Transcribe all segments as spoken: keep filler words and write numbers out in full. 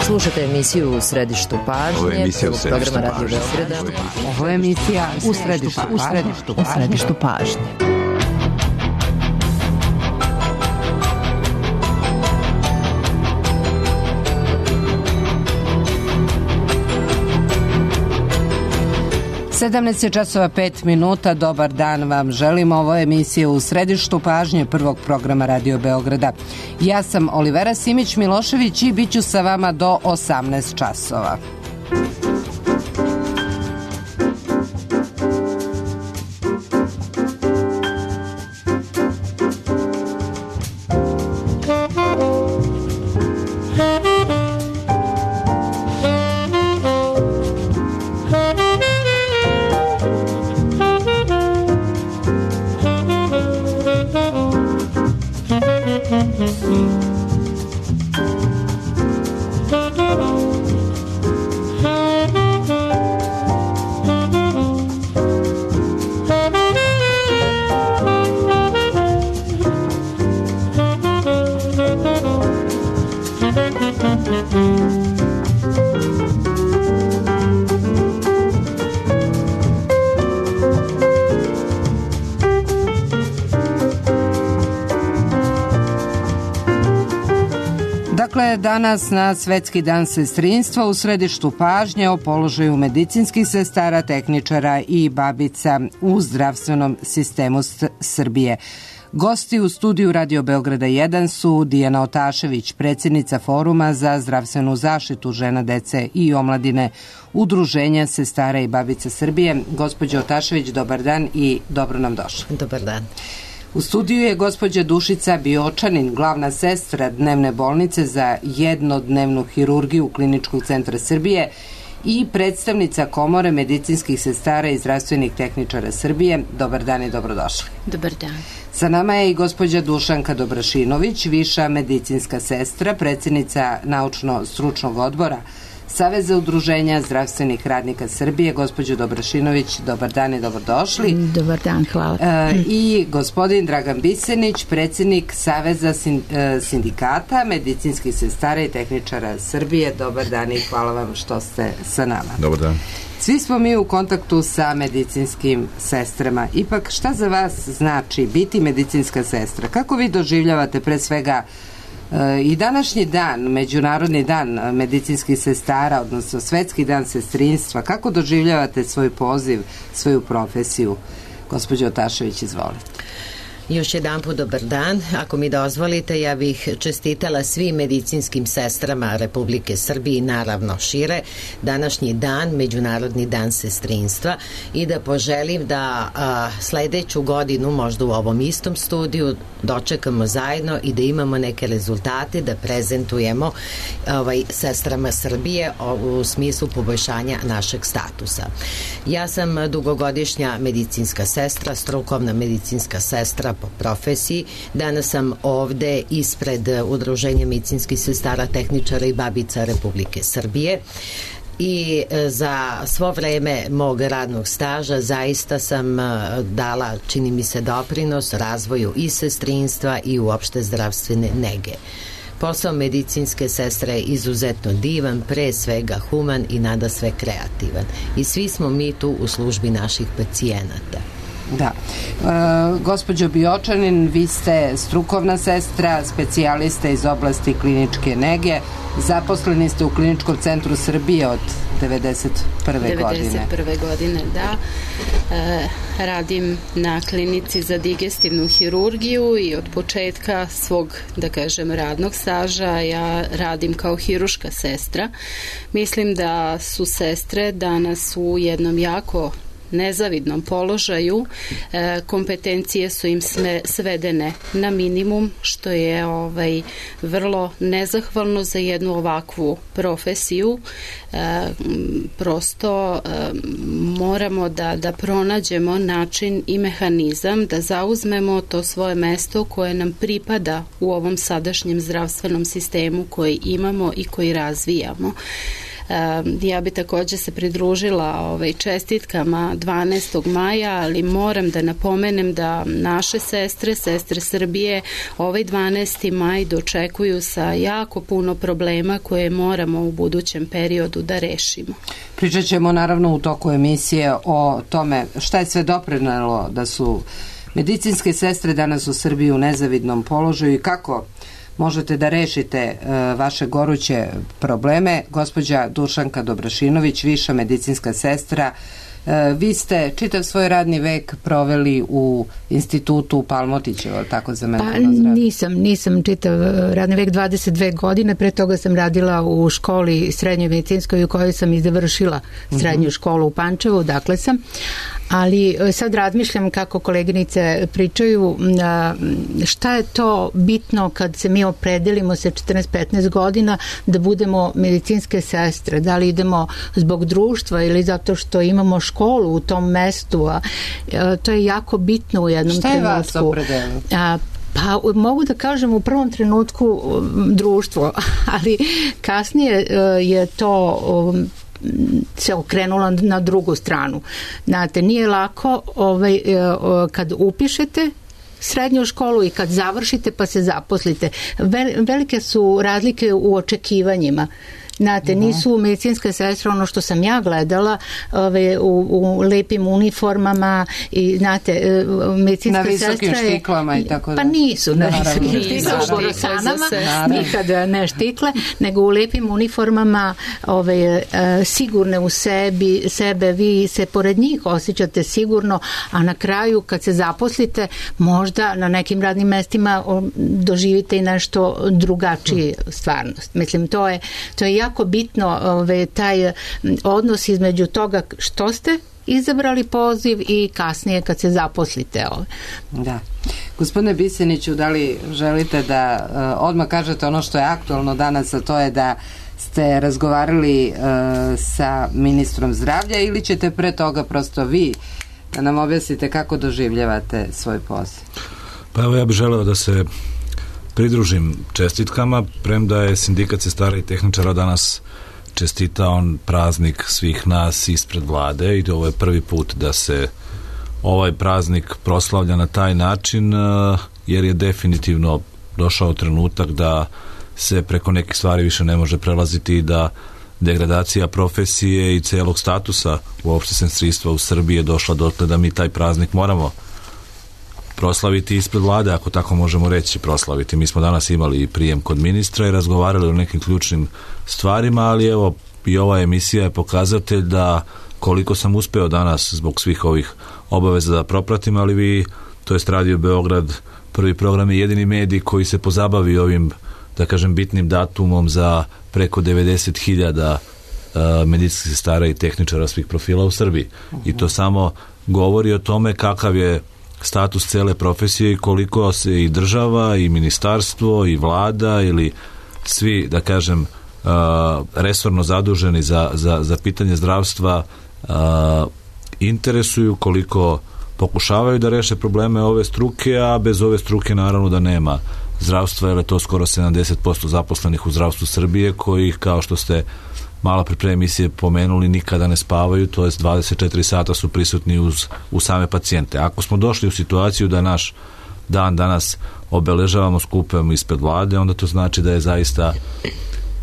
Slušate emisiju U središtu pažnje. Ovo je emisija U središtu programa Radio pažnje. Beograda. Ovo je emisija U središtu, u središtu, u središtu pažnje. sedamnaest časova pet minuta, dobar dan vam želimo. Ovo je emisija U središtu pažnje prvog programa Radio Beograda. Ja sam Olivera Simić-Milošević i bit ću sa vama do osamnaest časova. Dakle, danas na Svetski dan sestrinstva u središtu pažnje o položaju medicinskih sestara, tehničara i babica u zdravstvenom sistemu Srbije. Gosti u studiju Radio Beograda jedan su Dijana Otašević, predsjednica Foruma za zdravstvenu zaštitu žena, dece i omladine Udruženja sestara i babica Srbije. Gospođo Otašević, dobar dan i dobro nam došli. Dobar dan. U studiju je gospođa Dušica Biočanin, glavna sestra dnevne bolnice za jednodnevnu hirurgiju Kliničkog centra Srbije i predstavnica Komore medicinskih sestara i zdravstvenih tehničara Srbije. Dobar dan i dobrodošli. Dobar dan. Sa nama je i gospođa Dušanka Dobrašinović, viša medicinska sestra, predsjednica naučno-stručnog odbora Saveza udruženja zdravstvenih radnika Srbije. Gospođo Dobrašinović, dobar dan i dobrodošli. Dobar dan, hvala. E, I gospodin Dragan Bisenić, predsjednik Saveza sindikata medicinskih sestara i tehničara Srbije. Dobar dan i hvala vam što ste sa nama. Dobar dan. Svi smo mi u kontaktu sa medicinskim sestrama. Ipak, šta za vas znači biti medicinska sestra? Kako vi doživljavate pre svega i današnji dan, Međunarodni dan medicinskih sestara, odnosno Svetski dan sestrinstva? Kako doživljavate svoj poziv, svoju profesiju? Gospođo Otašević, izvolite. Još jedan put dobar dan. Ako mi dozvolite, ja bih čestitala svim medicinskim sestrama Republike Srbije i naravno šire današnji dan, Međunarodni dan sestrinstva, i da poželim da a, sledeću godinu možda u ovom istom studiju dočekamo zajedno i da imamo neke rezultate da prezentujemo ovaj, sestrama Srbije u smislu poboljšanja našeg statusa. Ja sam dugogodišnja medicinska sestra, strukovna medicinska sestra po profesiji. Danas sam ovde ispred Udruženja medicinskih sestara, tehničara i babica Republike Srbije i za svo vreme mog radnog staža zaista sam dala, čini mi se, doprinos razvoju i sestrinstva i uopšte zdravstvene nege. Posao medicinske sestre je izuzetno divan, pre svega human i nada sve kreativan. I svi smo mi tu u službi naših pacijenata. Da. E, gospođo Biočanin, vi ste strukovna sestra, specijalista iz oblasti kliničke nege. Zaposleni ste u Kliničkom centru Srbije od devedeset prve godine. devedeset prve godine, da. E, radim na klinici za digestivnu hirurgiju i od početka svog, da kažem, radnog staža ja radim kao hiruška sestra. Mislim da su sestre danas u jednom jako nezavidnom položaju, e, kompetencije su im sve, svedene na minimum, što je ovaj, vrlo nezahvalno za jednu ovakvu profesiju. E, prosto e, moramo da, da pronađemo način i mehanizam da zauzmemo to svoje mesto koje nam pripada u ovom sadašnjem zdravstvenom sistemu koji imamo i koji razvijamo. Ja bi također se pridružila ovaj, čestitkama dvanaestog maja, ali moram da napomenem da naše sestre, sestre Srbije, ovaj dvanaesti maj dočekuju sa jako puno problema koje moramo u budućem periodu da rešimo. Pričat ćemo naravno u toku emisije o tome šta je sve doprinelo da su medicinske sestre danas u Srbiji u nezavidnom položaju i kako možete da rešite uh, vaše goruće probleme. Gospođa Dušanka Dobrašinović, viša medicinska sestra, uh, vi ste čitav svoj radni vek proveli u institutu u Palmotićevo, tako za mene? Pa nisam, nisam čitav radni vek, dvadeset dve godine, pre toga sam radila u školi srednjoj medicinskoj u kojoj sam i završila srednju uh-huh. školu u Pančevu, dakle sam. Ali sad razmišljam kako koleginice pričaju šta je to bitno kad se mi opredelimo sa četrnaest petnaest godina da budemo medicinske sestre, da li idemo zbog društva ili zato što imamo školu u tom mestu, a to je jako bitno u jednom šta trenutku. Šta je vas opredelilo? Pa mogu da kažem u prvom trenutku društvo, ali kasnije je to se okrenula na drugu stranu. Znate, nije lako ovaj, kad upišete srednju školu i kad završite pa se zaposlite. Velike su razlike u očekivanjima. Znate, nisu medicinske sestre ono što sam ja gledala ove, u, u lepim uniformama i znate, medicinska sestra je... Na visokim štiklama i tako da. Pa nisu na visokim štiklama, u borosanama, nikada ne štikle, nego u lepim uniformama ove, sigurne u sebi, sebe, vi se pored njih osjećate sigurno, a na kraju kad se zaposlite, možda na nekim radnim mestima doživite i nešto drugačije stvarnost. Mislim, to je, to je jako bitno ove, taj odnos između toga što ste izabrali poziv i kasnije kad se zaposlite. Ove. Da. Gospodine Biseniću, da li želite da uh, odmah kažete ono što je aktualno danas, a to je da ste razgovarali uh, sa ministrom zdravlja ili ćete pre toga prosto vi da nam objasnite kako doživljavate svoj posao? Pa evo ja bih želeo da se pridružim čestitkama, premda je sindikat sestara i tehničara danas čestitao praznik svih nas ispred vlade i ovo je prvi put da se ovaj praznik proslavlja na taj način, jer je definitivno došao trenutak da se preko nekih stvari više ne može prelaziti i da degradacija profesije i celog statusa uopšte sestrinstva u Srbiji je došla dotle da mi taj praznik moramo proslaviti ispred vlade, ako tako možemo reći proslaviti. Mi smo danas imali prijem kod ministra i razgovarali o nekim ključnim stvarima, ali evo i ova emisija je pokazatelj da koliko sam uspeo danas zbog svih ovih obaveza da propratim, ali vi, to jest Radio Beograd, prvi program je jedini medij koji se pozabavi ovim, da kažem, bitnim datumom za preko devedeset hiljada uh, medicinskih sestara i tehničara svih profila u Srbiji. Uh-huh. I to samo govori o tome kakav je status cele profesije i koliko se i država i ministarstvo i vlada ili svi, da kažem, uh, resorno zaduženi za, za, za pitanje zdravstva uh, interesuju, koliko pokušavaju da reše probleme ove struke, a bez ove struke naravno da nema zdravstva, jer je to skoro sedamdeset posto zaposlenih u zdravstvu Srbije koji, kao što ste malo pre pre emisije pomenuli, nikada ne spavaju, to jest dvadeset četiri sata su prisutni uz, uz same pacijente. Ako smo došli u situaciju da naš dan danas obeležavamo skupom ispred vlade, onda to znači da je zaista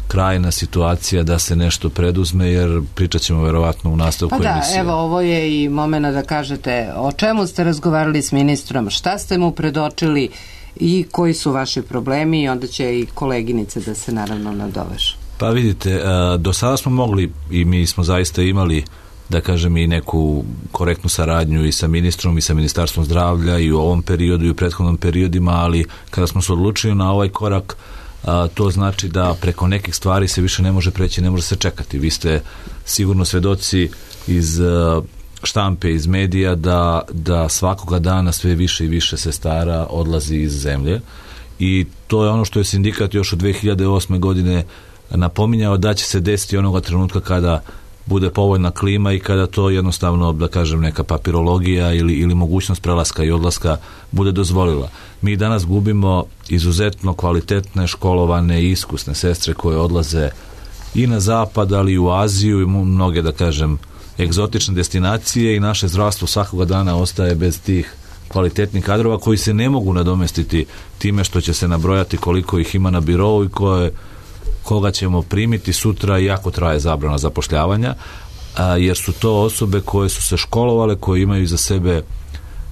krajna situacija da se nešto preduzme, jer pričat ćemo verovatno u nastavku pa emisije. Da, evo, ovo je i momena da kažete o čemu ste razgovarali s ministrom, šta ste mu predočili i koji su vaši problemi, i onda će i koleginice da se naravno nadovežu. Pa vidite, do sada smo mogli i mi smo zaista imali, da kažem, i neku korektnu saradnju i sa ministrom i sa ministarstvom zdravlja i u ovom periodu i u prethodnom periodima, ali kada smo se odlučili na ovaj korak, to znači da preko nekih stvari se više ne može preći, ne može se čekati. Vi ste sigurno svedoci iz štampe, iz medija da, da svakoga dana sve više i više sestara odlazi iz zemlje i to je ono što je sindikat još od dve hiljade osme godine napominjao da će se desiti onoga trenutka kada bude povoljna klima i kada to jednostavno, da kažem, neka papirologija ili, ili mogućnost prelaska i odlaska bude dozvolila. Mi danas gubimo izuzetno kvalitetne, školovane i iskusne sestre koje odlaze i na zapad, ali i u Aziju i mnoge, da kažem, egzotične destinacije, i naše zdravstvo svakoga dana ostaje bez tih kvalitetnih kadrova koji se ne mogu nadomestiti time što će se nabrojati koliko ih ima na birovu i koje, koga ćemo primiti sutra, iako traje zabrana zapošljavanja, a, jer su to osobe koje su se školovale, koje imaju iza sebe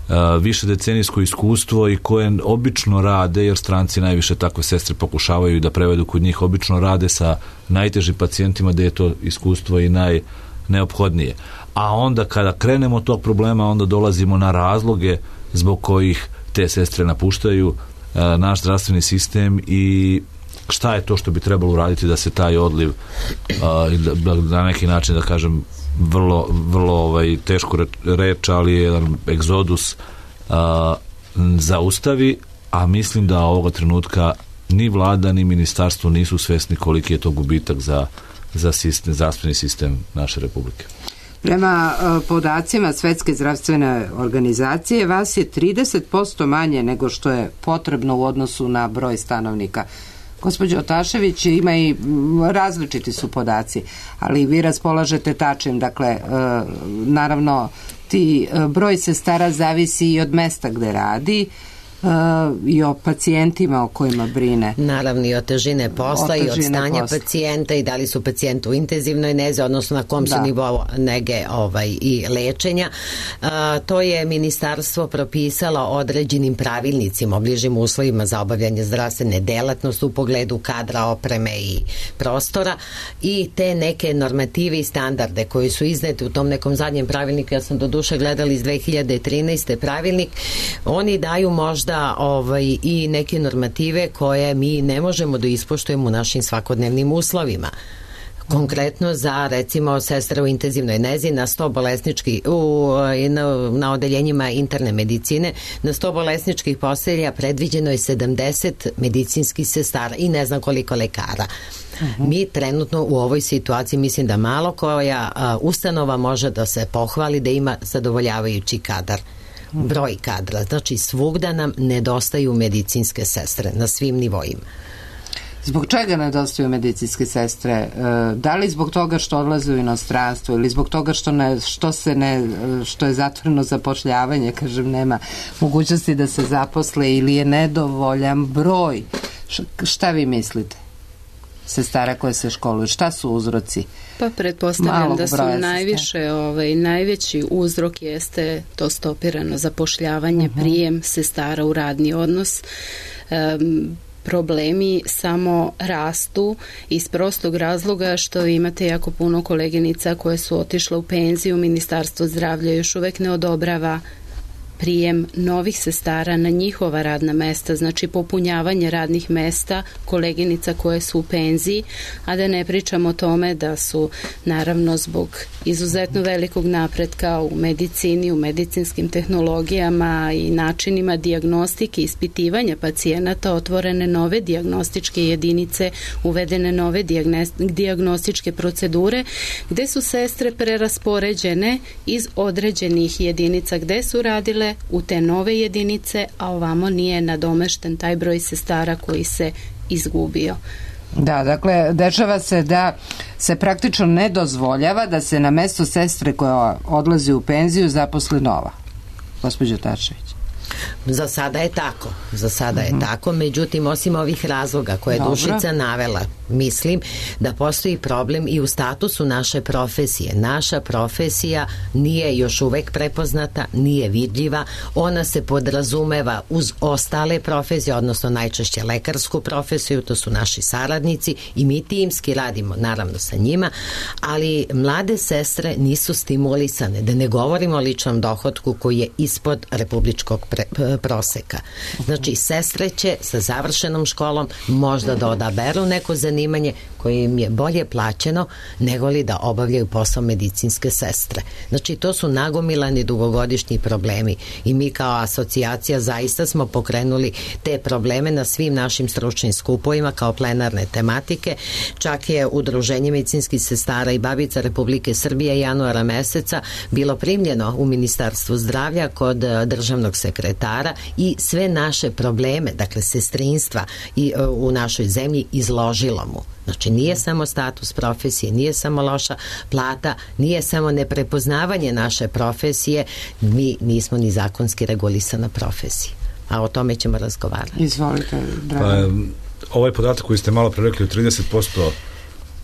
a, više decenijsko iskustvo i koje obično rade, jer stranci najviše takve sestre pokušavaju da prevedu kod njih, obično rade sa najtežim pacijentima gde je to iskustvo i najneophodnije. A onda kada krenemo od tog problema, onda dolazimo na razloge zbog kojih te sestre napuštaju a, naš zdravstveni sistem i šta je to što bi trebalo uraditi da se taj odliv a, da, na neki način, da kažem, vrlo, vrlo ovaj, teško reč, ali je jedan egzodus a, zaustavi, a mislim da ovoga trenutka ni vlada ni ministarstvo nisu svesni koliki je to gubitak za, za sistem, zdravstveni sistem naše republike. Prema podacima Svetske zdravstvene organizacije, vas je trideset posto manje nego što je potrebno u odnosu na broj stanovnika. Gospođo Otašević, ima i različiti su podaci, ali vi raspolažete tačnim, dakle, naravno, ti broj sestara zavisi i od mesta gde radi, Uh, i o pacijentima o kojima brine. Naravno, i o težine posla, i od stanja posla. Pacijenta, i da li su pacijenti u intenzivnoj nezi, odnosno na kom su da. nivou nege ovaj, i lečenja. Uh, to je ministarstvo propisalo određenim pravilnicima o bližim uslovima za obavljanje zdravstvene delatnosti u pogledu kadra, opreme i prostora, i te neke normative i standarde koji su izneti u tom nekom zadnjem pravilniku. Ja sam do duše gledala iz dve hiljade trinaeste pravilnik. Oni daju možda da ovaj, i neke normative koje mi ne možemo da ispoštujemo u našim svakodnevnim uslovima. Konkretno za, recimo, sestre u intenzivnoj nezi na sto bolesničkih u, na, na odeljenjima interne medicine, na sto bolesničkih postelja predviđeno je sedamdeset medicinskih sestara i ne znam koliko lekara. Uh-huh. Mi trenutno u ovoj situaciji mislim da malo koja a, ustanova može da se pohvali da ima zadovoljavajući kadar. Broj kadra. Znači, svugda nam nedostaju medicinske sestre na svim nivoima. Zbog čega nedostaju medicinske sestre? Da li zbog toga što odlaze u inostranstvo ili zbog toga što, ne, što, se ne, što je zatvoreno zapošljavanje, kažem, nema mogućnosti da se zaposle, ili je nedovoljan broj? Šta vi mislite? Sestara koje se školuju, šta su uzroci? Pa pretpostavljam da su najviše, ovaj, najveći uzrok jeste to stopirano zapošljavanje, uh-huh. prijem sestara u radni odnos. Um, problemi samo rastu iz prostog razloga što imate jako puno koleginica koje su otišle u penziju, Ministarstvo zdravlja još uvek ne odobrava prijem novih sestara na njihova radna mesta, znači popunjavanje radnih mesta koleginica koje su u penziji, a da ne pričamo o tome da su naravno zbog izuzetno velikog napretka u medicini, u medicinskim tehnologijama i načinima dijagnostike i ispitivanja pacijenata otvorene nove dijagnostičke jedinice, uvedene nove dijagnostičke procedure, gde su sestre preraspoređene iz određenih jedinica gde su radile u te nove jedinice, a ovamo nije nadomešten taj broj sestara koji se izgubio. Da, dakle, dešava se da se praktično ne dozvoljava da se na mesto sestre koja odlazi u penziju zaposli nova. Gospođo Tašević. Za sada je tako, za sada je mm-hmm. tako, međutim, osim ovih razloga koje je Dobro. Dušica navela, mislim da postoji problem i u statusu naše profesije. Naša profesija nije još uvek prepoznata, nije vidljiva, ona se podrazumeva uz ostale profesije, odnosno najčešće lekarsku profesiju, to su naši saradnici i mi timski radimo naravno sa njima, ali mlade sestre nisu stimulisane, da ne govorimo o ličnom dohotku koji je ispod republičkog pre, proseka. Znači, sestre će sa završenom školom možda da odaberu neko zanimanje koje im je bolje plaćeno nego li da obavljaju posao medicinske sestre. Znači, to su nagomilani dugogodišnji problemi i mi kao asocijacija zaista smo pokrenuli te probleme na svim našim stručnim skupovima kao plenarne tematike. Čak je Udruženje medicinskih sestara i babica Republike Srbije januara meseca bilo primljeno u Ministarstvu zdravlja kod državnog sekretara sestara i sve naše probleme, dakle sestrinstva i, u našoj zemlji izložilo mu. Znači nije samo status profesije, nije samo loša plata, nije samo neprepoznavanje naše profesije, mi nismo ni zakonski regulisana profesija. A o tome ćemo razgovarati. Izvolite, Dragan. Pa, ovaj podatak koji ste malo pre rekli, trideset posto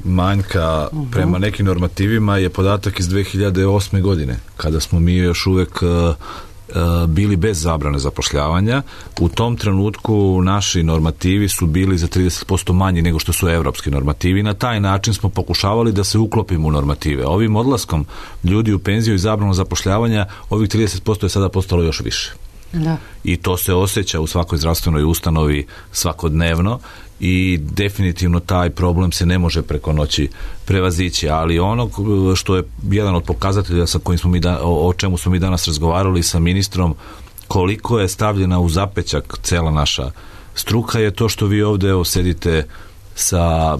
manjka uh-huh. prema nekim normativima je podatak iz dve hiljade osme godine, kada smo mi još uvek uh, uh, bili bez zabrane zapošljavanja. U tom trenutku naši normativi su bili za trideset posto manji nego što su evropski normativi. Na taj način smo pokušavali da se uklopimo u normative. Ovim odlaskom ljudi u penziju i zabranu zapošljavanja, ovih trideset posto je sada postalo još više. Da. I to se osjeća u svakoj zdravstvenoj ustanovi svakodnevno i definitivno taj problem se ne može preko noći prevazići, ali ono što je jedan od pokazatelja sa kojim smo mi da, o, o čemu smo mi danas razgovarali sa ministrom, koliko je stavljena u zapećak cela naša struka, je to što vi ovde evo, sedite sa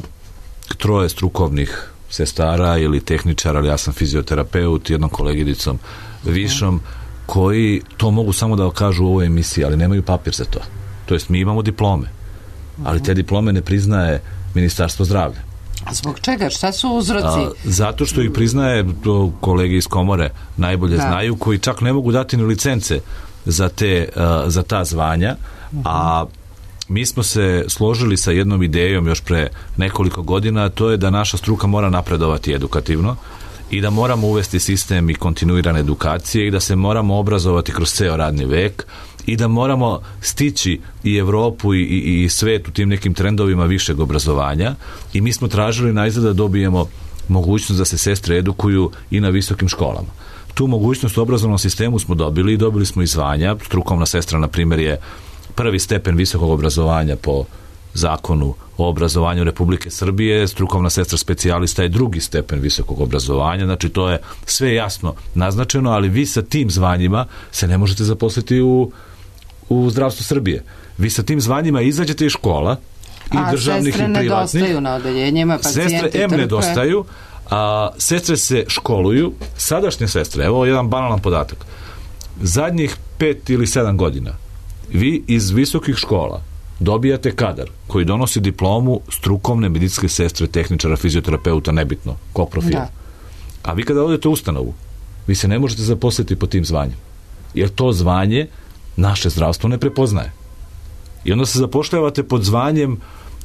troje strukovnih sestara ili tehničara, ali ja sam fizioterapeut, jednom koleginicom višom, koji to mogu samo da kažu u ovoj emisiji, ali nemaju papir za to. To jest, mi imamo diplome, ali te diplome ne priznaje Ministarstvo zdravlja. A zbog čega? Šta su uzroci? A, zato što ih priznaje, to kolege iz komore najbolje da. znaju, koji čak ne mogu dati ni licence za, te, uh, za ta zvanja, uh-huh. a mi smo se složili sa jednom idejom još pre nekoliko godina, a to je da naša struka mora napredovati edukativno i da moramo uvesti sistem i kontinuirane edukacije i da se moramo obrazovati kroz ceo radni vek i da moramo stići i Evropu i, i, i svet u tim nekim trendovima višeg obrazovanja i mi smo tražili najzad da dobijemo mogućnost da se sestre edukuju i na visokim školama. Tu mogućnost u obrazovnom sistemu smo dobili i dobili smo i zvanja. Strukovna sestra, na primjer, je prvi stepen visokog obrazovanja po zakonu o obrazovanju Republike Srbije, strukovna sestra specijalista je drugi stepen visokog obrazovanja, znači to je sve jasno naznačeno, ali vi sa tim zvanjima se ne možete zaposliti u, u zdravstvu Srbije. Vi sa tim zvanjima izađete iz škola i a državnih i privatnih. A sestre nedostaju na odeljenjima, pacijenti trpe. Sestre M nedostaju, a sestre se školuju, sadašnje sestre, evo jedan banalan podatak, zadnjih pet ili sedam godina vi iz visokih škola dobijate kadar koji donosi diplomu strukovne medicinske sestre, tehničara, fizioterapeuta, nebitno, kog profila. Da. A vi kada odete u ustanovu, vi se ne možete zaposliti po tim zvanjem. Jer to zvanje naše zdravstvo ne prepoznaje. I onda se zapošljavate pod zvanjem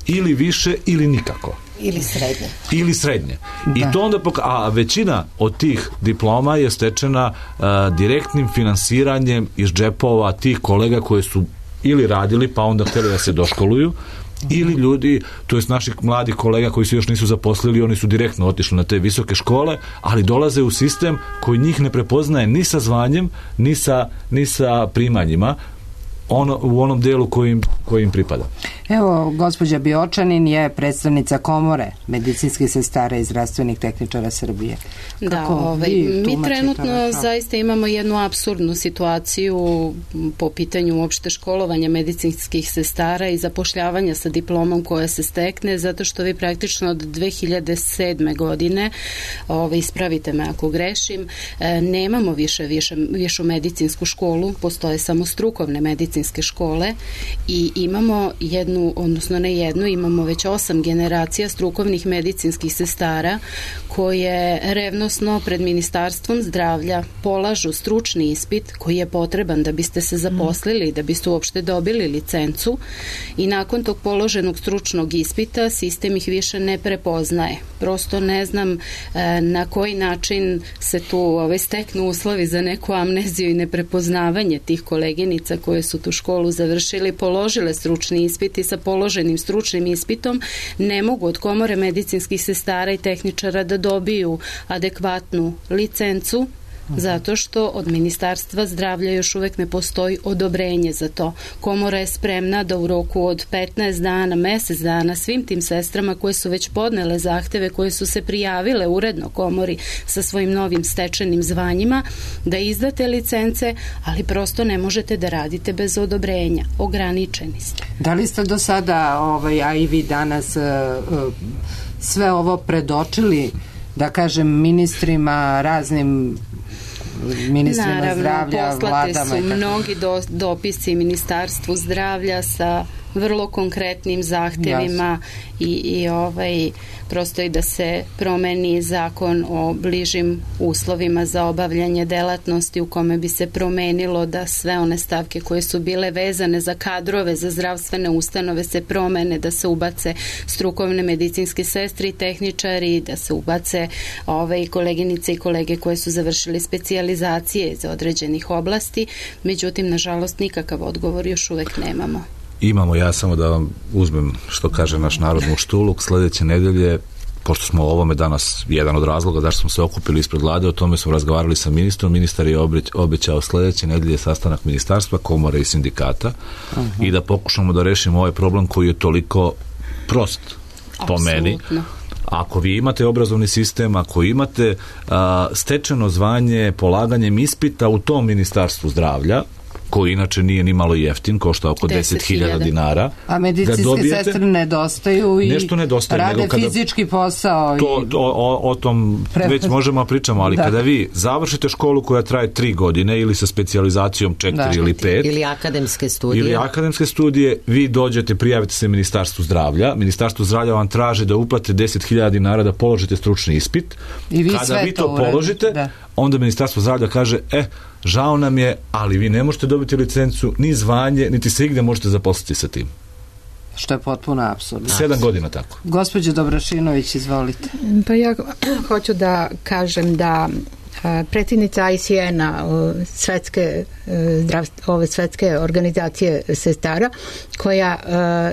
ili više ili nikako. Ili srednje. Ili srednje. Da. I to onda poka- a većina od tih diploma je stečena a, direktnim finansiranjem iz džepova tih kolega koje su ili radili, pa onda hteli da se doškoluju, ili ljudi, to jest naših mladih kolega koji se još nisu zaposlili, oni su direktno otišli na te visoke škole, ali dolaze u sistem koji njih ne prepoznaje ni sa zvanjem, ni sa, ni sa primanjima, ono, u onom delu kojim, kojim pripada. Evo, gospođa Biočanin je predstavnica komore medicinskih sestara i zdravstvenih tehničara Srbije. Da, ovaj, mi trenutno zaista imamo jednu apsurdnu situaciju po pitanju uopšte školovanja medicinskih sestara i zapošljavanja sa diplomom koja se stekne, zato što vi praktično od dve hiljade sedme godine, ovaj, ispravite me ako grešim, nemamo više, više višu medicinsku školu, postoje samo strukovne medicinske škole i imamo jednu, odnosno ne jednu, imamo već osam generacija strukovnih medicinskih sestara koje revnosno pred Ministarstvom zdravlja polažu stručni ispit koji je potreban da biste se zaposlili, da biste uopšte dobili licencu i nakon tog položenog stručnog ispita sistem ih više ne prepoznaje. Prosto ne znam e, na koji način se tu ove, steknu uslovi za neku amneziju i neprepoznavanje tih koleginica koje su tu školu završili, položile stručni ispit i sa položenim stručnim ispitom ne mogu od komore medicinskih sestara i tehničara da dobiju adekvatnu licencu, zato što od Ministarstva zdravlja još uvek ne postoji odobrenje za to. Komora je spremna da u roku od petnaest dana, mesec dana svim tim sestrama koje su već podnele zahteve, koje su se prijavile uredno komori sa svojim novim stečenim zvanjima, da izdate licence, ali prosto ne možete da radite bez odobrenja. Ograničeni ste. Da li ste do sada, ovaj, a i vi danas, sve ovo predočili, da kažem, ministrima, raznim ministrima Naravno, zdravlja, poslate vladama? Su mnogi do, dopisi Ministarstvu zdravlja sa vrlo konkretnim zahtevima i, i ovaj, prosto i da se promeni zakon o bližim uslovima za obavljanje delatnosti u kome bi se promenilo da sve one stavke koje su bile vezane za kadrove, za zdravstvene ustanove se promene, da se ubace strukovne medicinske sestre i tehničari, da se ubace ovaj, koleginice i kolege koje su završili specijalizacije iz određenih oblasti. Međutim, nažalost, nikakav odgovor još uvek nemamo. Imamo, ja samo da vam uzmem što kaže naš narod muštuluk, sledeće nedelje, pošto smo o ovome danas jedan od razloga zašto smo se okupili ispred vlade, o tome smo razgovarali sa ministrom, ministar je obećao sledeće nedelje sastanak ministarstva, komore i sindikata uh-huh. i da pokušamo da rešimo ovaj problem koji je toliko prost po meni. Ako vi imate obrazovni sistem, ako imate a, stečeno zvanje polaganjem ispita u tom ministarstvu zdravlja, koji inače nije ni malo jeftin, košta oko deset hiljada dinara. A medicinske dobijete, sestre nedostaju i nešto nedostaje, rade kada, fizički posao. To, i... o, o, o tom Pre... već možemo pričamo, ali da. Kada vi završite školu koja traje tri godine ili sa specijalizacijom četiri da. Ili pet. Ili akademske studije. Ili akademske studije, vi dođete, prijavite se Ministarstvu zdravlja. Ministarstvo zdravlja vam traži da uplate deset hiljada dinara da položite stručni ispit. I vi kada vi to, to položite, da. Onda Ministarstvo zdravlja kaže, e, žao nam je, ali vi ne možete dobiti licencu, ni zvanje, niti se igde možete zaposliti sa tim. Što je potpuno apsurdno. Sedam godina tako. Gospođo Dobrašinović, izvolite. Pa ja hoću da kažem da predsjednica I C N-a, svetske, ove svetske organizacije sestara, koja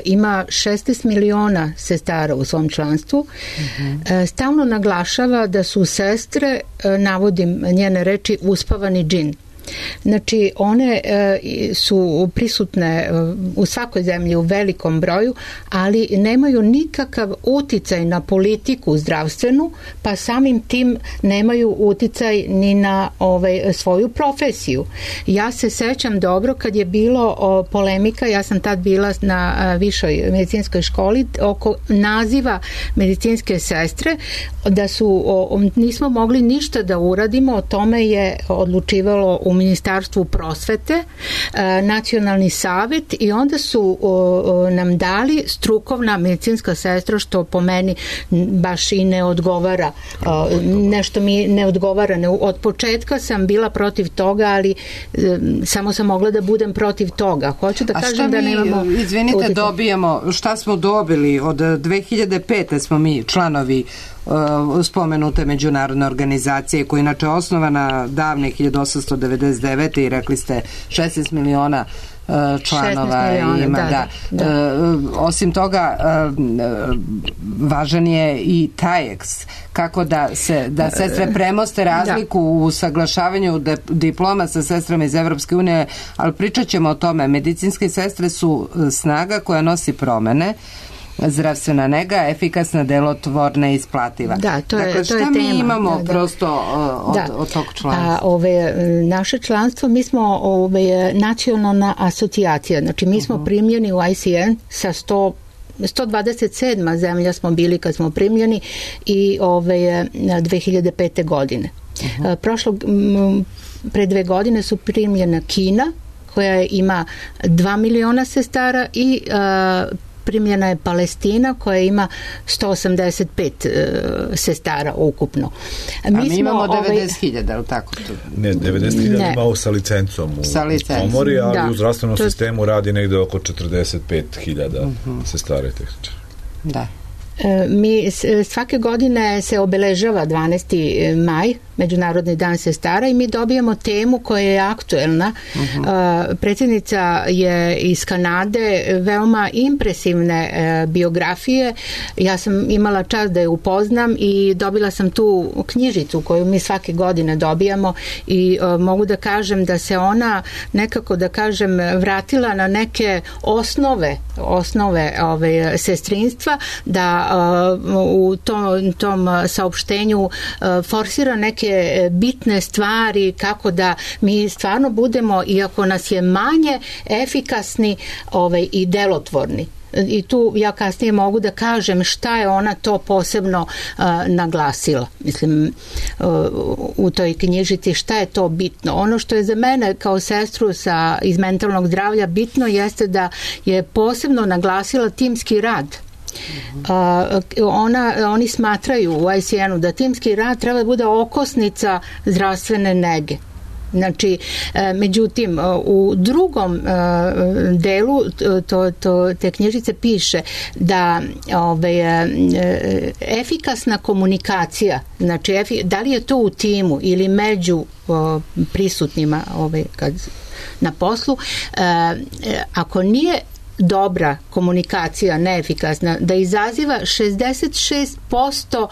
ima šesnaest miliona sestara u svom članstvu, uh-huh. stalno naglašava da su sestre, navodim njene reči, uspavani džin. Znači, one e, su prisutne e, u svakoj zemlji u velikom broju, ali nemaju nikakav uticaj na politiku zdravstvenu, pa samim tim nemaju uticaj ni na ovaj, svoju profesiju. Ja se sećam dobro kad je bilo o, polemika, ja sam tad bila na a, višoj medicinskoj školi, oko naziva medicinske sestre, da su, o, nismo mogli ništa da uradimo, o tome je odlučivalo u Ministarstvu prosvete, Nacionalni savet, i onda su nam dali strukovna medicinska sestra, što po meni baš i ne odgovara. Nešto mi ne odgovara. Od početka sam bila protiv toga, ali samo sam mogla da budem protiv toga. Hoću da A kažem da nemamo... Izvinite, utjecaj. Dobijamo, šta smo dobili? Od dve hiljade pete smo mi članovi spomenute međunarodne organizacije koja je inače osnovana davne hiljadu osamsto devedeset devete i rekli ste šesnaest miliona članova miliona, ima, da, da. da. Osim toga važan je i TAEX, kako da se da sestre premoste razliku da. U usaglašavanju de, diploma sa sestrama iz Evropske unije, ali pričat ćemo o tome. Medicinske sestre su snaga koja nosi promene, zdravstvena nega, efikasna, delotvorna i isplativa. Da, to je, dakle, to je šta tema. mi imamo da, prosto da. Od, da. od tog članstva? A, ove, naše članstvo, mi smo ove, nacionalna asocijacija, znači mi smo uh-huh. primljeni u I C N sa sto sto dvadeset sedma zemlja smo bili kad smo primljeni i ove, dve hiljade pete godine. Uh-huh. Prošlog, m, pre dve godine su primljena Kina, koja ima dva miliona sestara, i a, primljena je Palestina koja ima sto osamdeset pet uh, sestara ukupno. Mi, A mi imamo devedeset hiljada, ovaj... tako? Ne, devedeset hiljada imamo sa licencom u, sa licencom. komori, ali da. U zdravstvenom to... sistemu radi negde oko četrdeset pet hiljada uh-huh. sestara i tehničara. Da. Mi svake godine se obeležava dvanaesti maj, Međunarodni dan sestara, i mi dobijamo temu koja je aktuelna. Uh-huh. Predsjednica je iz Kanade, veoma impresivne biografije. Ja sam imala čast da je upoznam i dobila sam tu knjižicu koju mi svake godine dobijamo i uh, mogu da kažem da se ona nekako, da kažem, vratila na neke osnove osnove ove, sestrinstva, da uh, u tom, tom saopštenju uh, forsira neke bitne stvari, kako da mi stvarno budemo, iako nas je manje, efikasni ovaj, i delotvorni. i tu ja kasnije mogu da kažem šta je ona to posebno uh, naglasila. Mislim, uh, u toj knjižici šta je to bitno. Ono što je za mene kao sestru sa, iz mentalnog zdravlja bitno jeste da je posebno naglasila timski rad. Uh, ona, oni smatraju u I C N-u da timski rad treba da bude okosnica zdravstvene nege. Znači, međutim, u drugom delu to, to, te knjižice piše da ove, efikasna komunikacija, znači da li je to u timu ili među prisutnima ove, kad, na poslu, ako nije dobra komunikacija, neefikasna, da izaziva šezdeset šest posto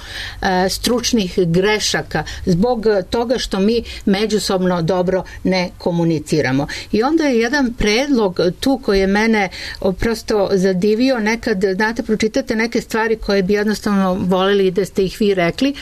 stručnih grešaka zbog toga što mi međusobno dobro ne komuniciramo. I onda je jedan predlog tu koji je mene prosto zadivio, nekad, znate, pročitate neke stvari koje bi jednostavno voleli da ste ih vi rekli,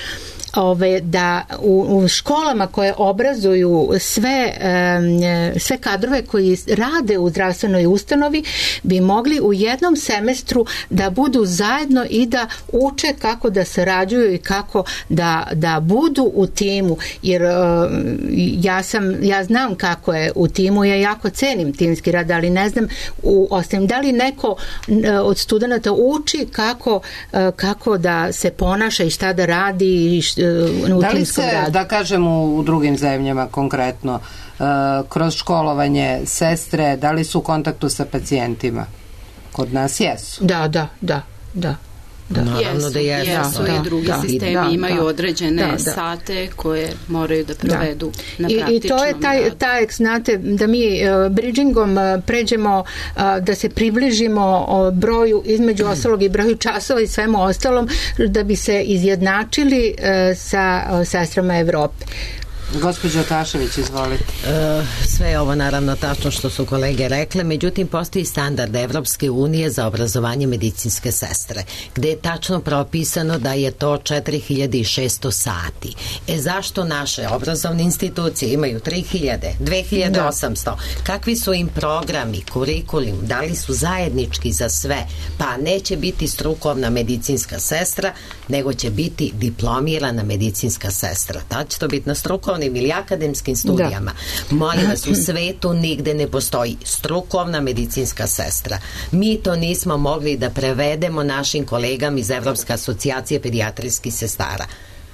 Ove, da u, u školama koje obrazuju sve, e, sve kadrove koji rade u zdravstvenoj ustanovi bi mogli u jednom semestru da budu zajedno i da uče kako da sarađuju i kako da, da budu u timu, jer e, ja sam, ja znam kako je u timu, ja jako cenim timski rad, ali ne znam u ostalim, da li neko e, od studenata uči kako, e, kako da se ponaša i šta da radi i šta, da li se, radu. Da kažem u, u drugim zemljama konkretno, uh, kroz školovanje sestre, da li su u kontaktu sa pacijentima? Kod nas jesu. Da, da, da, da. Da. Naravno jesu, da jesu. jesu da, i drugi da, sistemi da, imaju da, određene da, da. sate koje moraju da provedu da. na praktičnom I, i to je taj, taj, znate, da mi uh, bridgingom uh, pređemo, uh, da se približimo uh, broju, između mm. ostalog i broju časova i svemu ostalom, da bi se izjednačili uh, sa uh, sestrama Evrope. Gospođo Tašević, izvolite. E, sve je ovo naravno tačno što su kolege rekle, međutim postoji standard Evropske unije za obrazovanje medicinske sestre, gde je tačno propisano da je to četiri hiljade šesto sati. E zašto naše obrazovne institucije imaju tri hiljade, dve hiljade osamsto? Da. Kakvi su im programi, kurikulum, da li su zajednički za sve? Pa neće biti strukovna medicinska sestra, nego će biti diplomirana medicinska sestra. Ta će to biti na strukovnom ili akademskim studijama. Da. Molim vas, u svetu nigde ne postoji strukovna medicinska sestra. Mi to nismo mogli da prevedemo našim kolegama iz Evropske asocijacije pedijatrijskih sestara.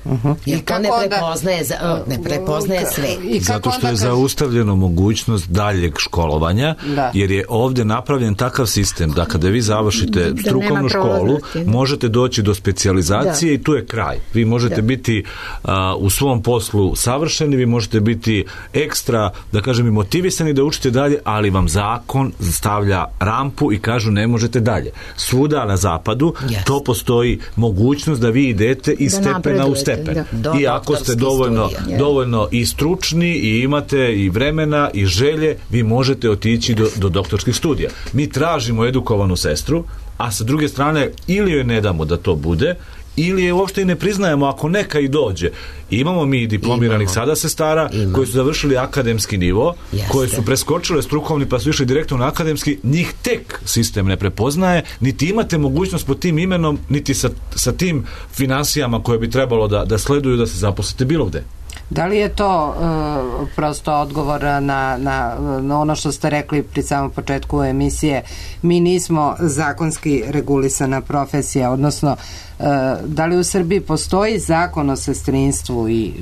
Uh-huh. Jer to ne prepoznaje, da, ne prepoznaje sve. Zato što je zaustavljeno mogućnost daljeg školovanja, da. Jer je ovdje napravljen takav sistem da kada vi završite da strukovnu školu, možete doći do specijalizacije da. I tu je kraj. Vi možete da. biti uh, u svom poslu savršeni, vi možete biti ekstra, da kažem, i motivisani da učite dalje, ali vam zakon stavlja rampu i kažu ne možete dalje. Svuda na zapadu yes. to postoji mogućnost da vi idete iz da stepena u stepen. Da. I ako ste dovoljno, dovoljno i stručni i imate i vremena i želje, vi možete otići do, do doktorskih studija. Mi tražimo edukovanu sestru, a sa druge strane ili joj ne damo da to bude, ili je uopšte i ne priznajemo ako neka i dođe. Imamo mi diplomiranih Imamo. sada sestara Imamo. koji su završili akademski nivo, Jeste. koje su preskočile strukovni pa su išli direktno na akademski, njih tek sistem ne prepoznaje, niti imate mogućnost pod tim imenom, niti sa, sa tim finansijama koje bi trebalo da, da sleduju da se zaposlite bilo gde. Da li je to uh, prosto odgovor na, na, na ono što ste rekli pri samom početku emisije? Mi nismo zakonski regulisana profesija, odnosno uh, da li u Srbiji postoji zakon o sestrinstvu i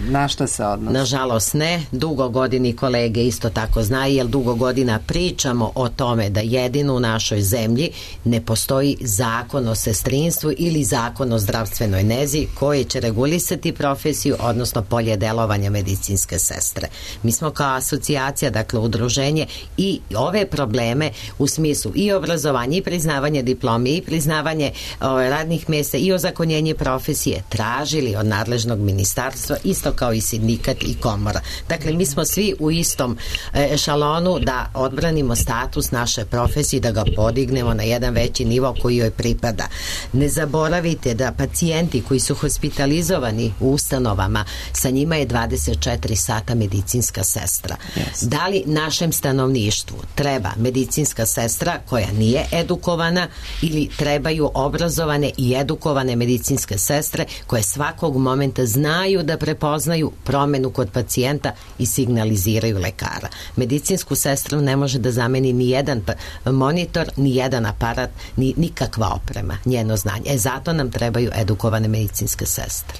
na šta se odnosi? Nažalost ne, dugo godini kolege isto tako znaju, jer dugo godina pričamo o tome da jedino u našoj zemlji ne postoji zakon o sestrinstvu ili zakon o zdravstvenoj nezi koji će regulisati profesiju, odnosno polje delovanja medicinske sestre. Mi smo kao asocijacija, dakle udruženje, i ove probleme u smislu i obrazovanja i priznavanje diplome i priznavanje o, radnih mjesta i ozakonjenje profesije tražili od nadležnog ministarstva, isto kao i sindikat i komora. Dakle, mi smo svi u istom ešalonu da odbranimo status naše profesije, da ga podignemo na jedan veći nivo koji joj pripada. Ne zaboravite da pacijenti koji su hospitalizovani u ustanovama sa njima je dvadeset četiri sata medicinska sestra. Yes. Da li našem stanovništvu treba medicinska sestra koja nije edukovana ili trebaju obrazovane i edukovane medicinske sestre koje svakog momenta znaju da prepoznaju promenu kod pacijenta i signaliziraju lekara. Medicinsku sestru ne može da zameni ni jedan monitor, ni jedan aparat, ni nikakva oprema, njeno znanje. E, zato nam trebaju edukovane medicinske sestre.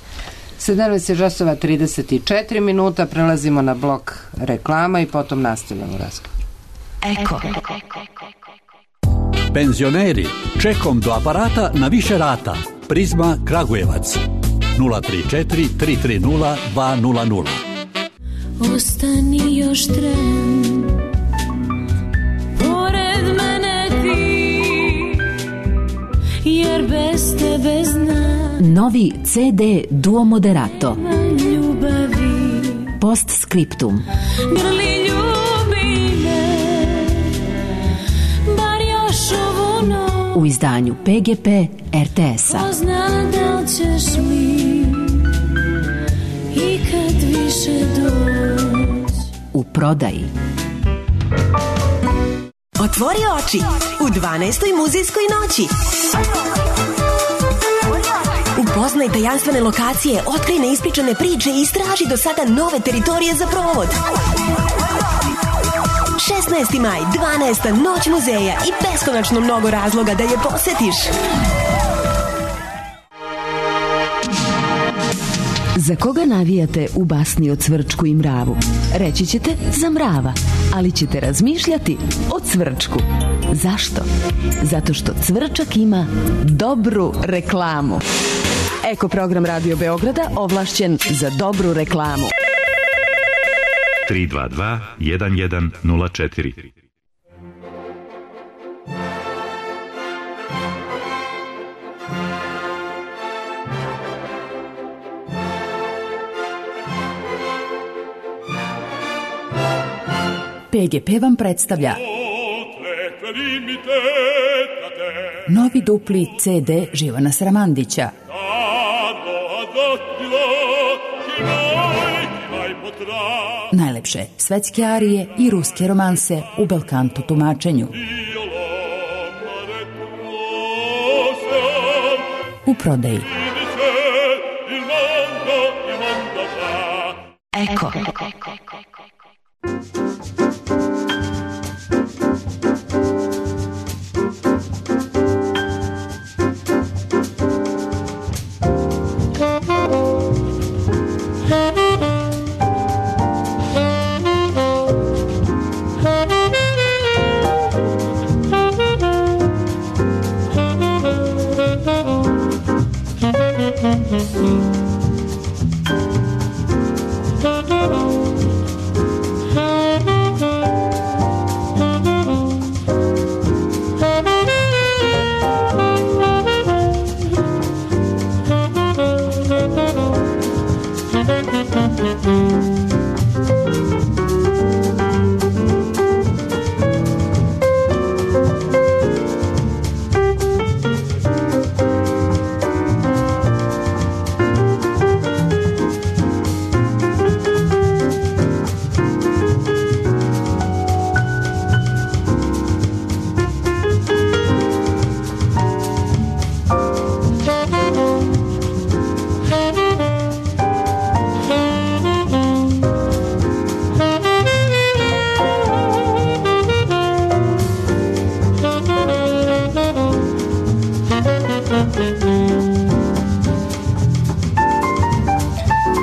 sedamnaest časova trideset četiri minuta, prelazimo na blok reklama i potom nastavljamo razgovor. Eko. Penzioneri, čekom do aparata na više rata. Prizma Kragujevac. nula tri četiri tri tri nula dva nula nula. Ostani još tren, pored mene ti, jer bez tebe znam. Novi ce de Duo Moderato. Ljubavi. Postscriptum. Grli ljubi me, bar još ovu noć. U izdanju pe ge pe er te es-a. Pozna da li ćeš mi ikad više doći. U prodaji. Otvori oči u dvanaestoj muzejskoj noći. Upoznaj tajanstvene lokacije, otkrij neispričane priče i istraži do sada nove teritorije za provod. šesnaesti maj, dvanaesta noć muzeja i beskonačno mnogo razloga da je posetiš. Za koga navijate u basni o Cvrčku i mravu? Reći ćete za mrava, ali ćete razmišljati o Cvrčku. Zašto? Zato što Cvrčak ima dobru reklamu. Eko program Radio Beograda ovlašćen za dobru reklamu. tri dva dva jedan jedan nula četiri. pe ge pe vam predstavlja novi dupli ce de Živana Sramandića. Najlepše svetske arije i ruske romanse u belkanto tumačenju. U prodaji. Eko.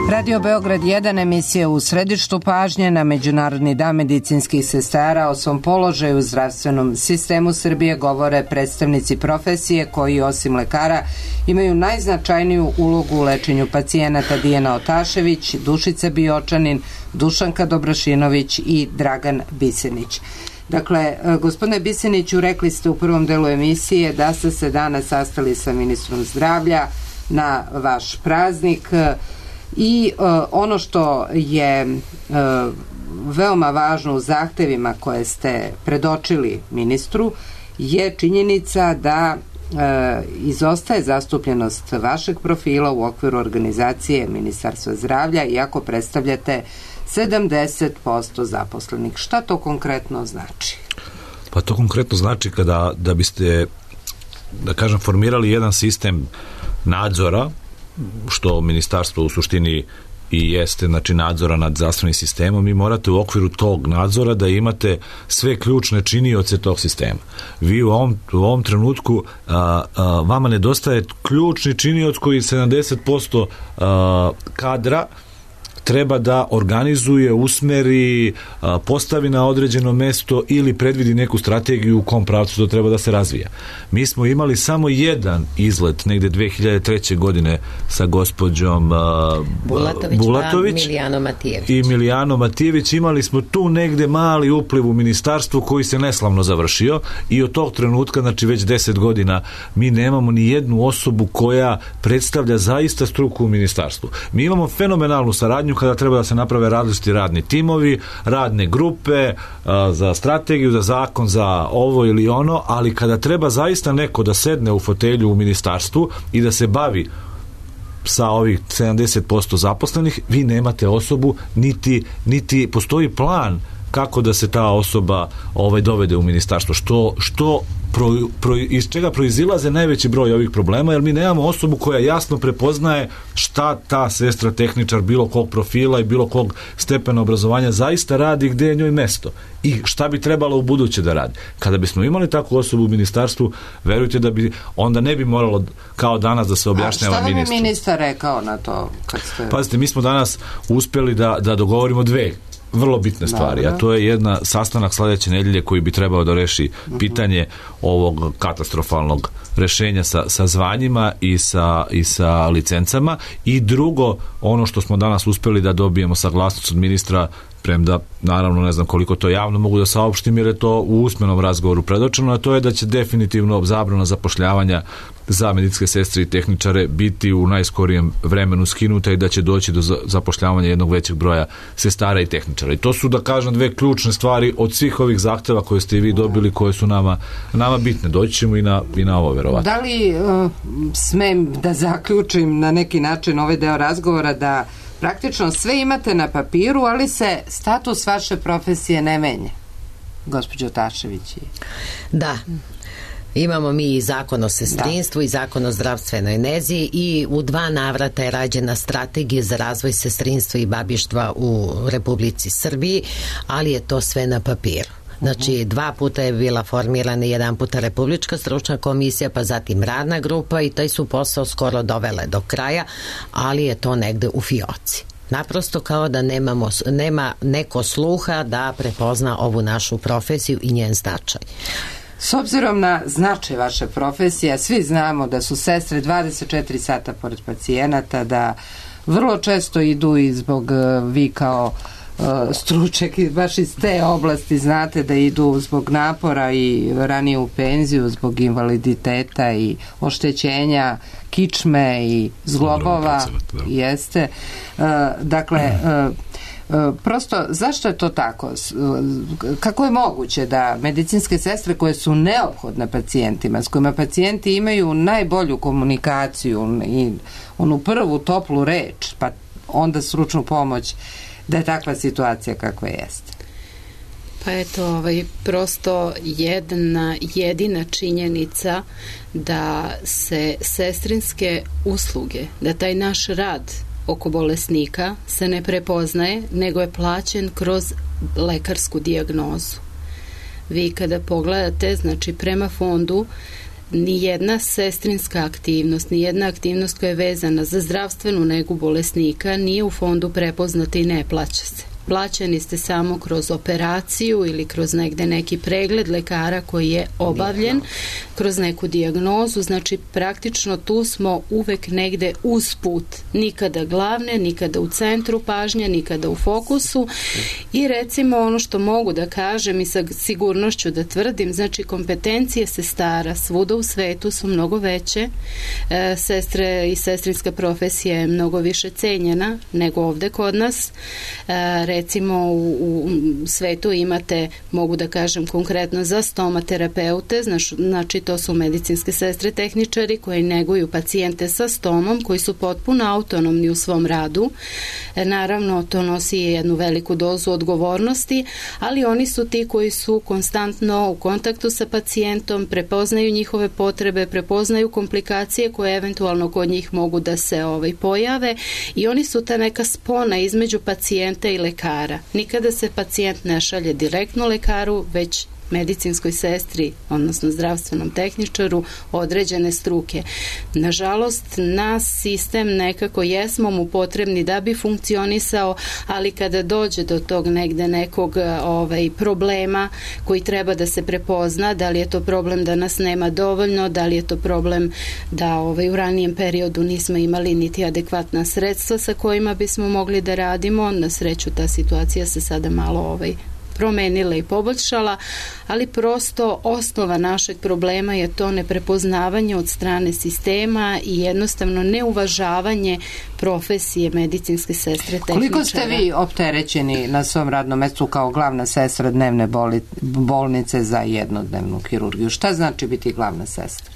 Radio Beograd jedan, emisija u središtu pažnje na Međunarodni dan medicinskih sestara. O svom položaju u zdravstvenom sistemu Srbije govore predstavnici profesije koji osim lekara imaju najznačajniju ulogu u lečenju pacijenata: Dijana Otašević, Dušica Biočanin, Dušanka Dobrašinović i Dragan Bisenić. Dakle, gospodine Biseniću, rekli ste u prvom delu emisije da ste se danas sastali sa ministrom zdravlja na vaš praznik. I uh, ono što je uh, veoma važno u zahtevima koje ste predočili ministru je činjenica da izostaje zastupljenost vašeg profila u okviru organizacije Ministarstva zdravlja, iako predstavljate sedamdeset posto zaposlenih. Šta to konkretno znači? Pa to konkretno znači kada da biste, da kažem, formirali jedan sistem nadzora, što ministarstvo u suštini i jeste, znači, nadzora nad zdravstvenim sistemom, i morate u okviru tog nadzora da imate sve ključne činioce tog sistema. Vi u ovom, u ovom trenutku a, a, vama nedostaje ključni činioc koji sedamdeset posto a, kadra treba da organizuje, usmeri, postavi na određeno mesto ili predvidi neku strategiju u kom pravcu to treba da se razvija. Mi smo imali samo jedan izlet negde dve hiljade treće godine sa gospođom Bulatović, Bulatović Milijano Matijević. i Milijano Matijević. Imali smo tu negde mali upliv u ministarstvu koji se neslavno završio i od tog trenutka, znači već deset godina, mi nemamo ni jednu osobu koja predstavlja zaista struku u ministarstvu. Mi imamo fenomenalnu saradnju kada treba da se naprave različiti radni timovi, radne grupe a, za strategiju, za zakon, za ovo ili ono, ali kada treba zaista neko da sedne u fotelju u ministarstvu i da se bavi sa ovih sedamdeset posto zaposlenih, vi nemate osobu, niti, niti postoji plan kako da se ta osoba ovaj dovede u ministarstvo, što, što pro, pro, iz čega proizilaze najveći broj ovih problema, jer mi nemamo osobu koja jasno prepoznaje šta ta sestra tehničar bilo kog profila i bilo kog stepena obrazovanja zaista radi, gde je njoj mesto i šta bi trebalo u buduće da radi. Kada bismo imali takvu osobu u ministarstvu, verujte da bi onda ne bi moralo kao danas da se objašnjava ministru. A šta vam je ministar rekao na to? Kad ste... Pazite, mi smo danas uspeli da, da dogovorimo dve vrlo bitne stvari, a to je jedna sastanak sledeće nedelje koji bi trebao da reši pitanje ovog katastrofalnog rešenja sa, sa zvanjima i sa, i sa licencama, i drugo, ono što smo danas uspeli da dobijemo saglasnost od ministra, premda naravno ne znam koliko to javno mogu da saopštim jer je to u usmenom razgovoru predočeno, a to je da će definitivno zabrana zapošljavanja za medicinske sestre i tehničare biti u najskorijem vremenu skinuta i da će doći do zapošljavanja jednog većeg broja sestara i tehničara. I to su, da kažem, dve ključne stvari od svih ovih zahteva koje ste i vi dobili, koje su nama, nama bitne. Doći ćemo i na, i na ovo, verovatno. Da li uh, smem da zaključim na neki način ovaj deo razgovora da praktično sve imate na papiru, ali se status vaše profesije ne menja, gospođo Tašević? Da. Imamo mi i zakon o sestrinstvu, da, i zakon o zdravstvenoj nezi, i u dva navrata je rađena strategija za razvoj sestrinstva i babištva u Republici Srbiji, ali je to sve na papiru. Znači, dva puta je bila formirana, jedan puta Republička stručna komisija, pa zatim radna grupa, i taj su posao skoro dovele do kraja, ali je to negde u fioci. Naprosto kao da nemamo, nema neko sluha da prepozna ovu našu profesiju i njen značaj. S obzirom na značaj vaše profesije, svi znamo da su sestre dvadeset četiri sata pored pacijenata, da vrlo često idu i zbog, vi kao uh, stručnjak baš iz te oblasti znate da idu zbog napora i ranije u penziju, zbog invaliditeta i oštećenja kičme i zglobova. Jeste. Uh, dakle, uh, prosto, zašto je to tako? Kako je moguće da medicinske sestre koje su neophodne pacijentima, s kojima pacijenti imaju najbolju komunikaciju i onu prvu toplu reč, pa onda stručnu pomoć, da je takva situacija kakva jeste? Pa eto, ovaj, prosto jedna jedina činjenica da se sestrinske usluge, da taj naš rad oko bolesnika se ne prepoznaje, nego je plaćen kroz lekarsku dijagnozu. Vi kada pogledate, znači prema fondu, ni jedna sestrinska aktivnost, ni jedna aktivnost koja je vezana za zdravstvenu negu bolesnika nije u fondu prepoznata i ne plaća se. Plaćeni ste samo kroz operaciju ili kroz negde neki pregled lekara koji je obavljen, kroz neku dijagnozu, znači praktično tu smo uvek negde usput, nikada glavne, nikada u centru pažnje, nikada u fokusu. I recimo ono što mogu da kažem i sa sigurnošću da tvrdim, znači kompetencije sestara svuda u svetu su mnogo veće, e, sestre i sestrinska profesija je mnogo više cenjena nego ovde kod nas. E, recimo u, u svetu imate, mogu da kažem konkretno za stomaterapeute, znači, znači to su medicinske sestre tehničari koji neguju pacijente sa stomom, koji su potpuno autonomni u svom radu. E, naravno to nosi jednu veliku dozu odgovornosti, ali oni su ti koji su konstantno u kontaktu sa pacijentom, prepoznaju njihove potrebe, prepoznaju komplikacije koje eventualno kod njih mogu da se ovaj, pojave i oni su ta neka spona između pacijenta i lekara. Nikada se pacijent ne šalje direktno lekaru, već medicinskoj sestri, odnosno zdravstvenom tehničaru određene struke. Nažalost, nas sistem nekako jesmo mu potrebni da bi funkcionisao, ali kada dođe do tog negde nekog ovaj, problema koji treba da se prepozna, da li je to problem da nas nema dovoljno, da li je to problem da ovaj, u ranijem periodu nismo imali niti adekvatna sredstva sa kojima bismo mogli da radimo, na sreću ta situacija se sada malo ovaj, promenila i poboljšala, ali prosto osnova našeg problema je to neprepoznavanje od strane sistema i jednostavno neuvažavanje profesije medicinske sestre tehničara. Koliko ste vi opterećeni na svom radnom mestu kao glavna sestra dnevne boli, bolnice za jednodnevnu hirurgiju? Šta znači biti glavna sestra?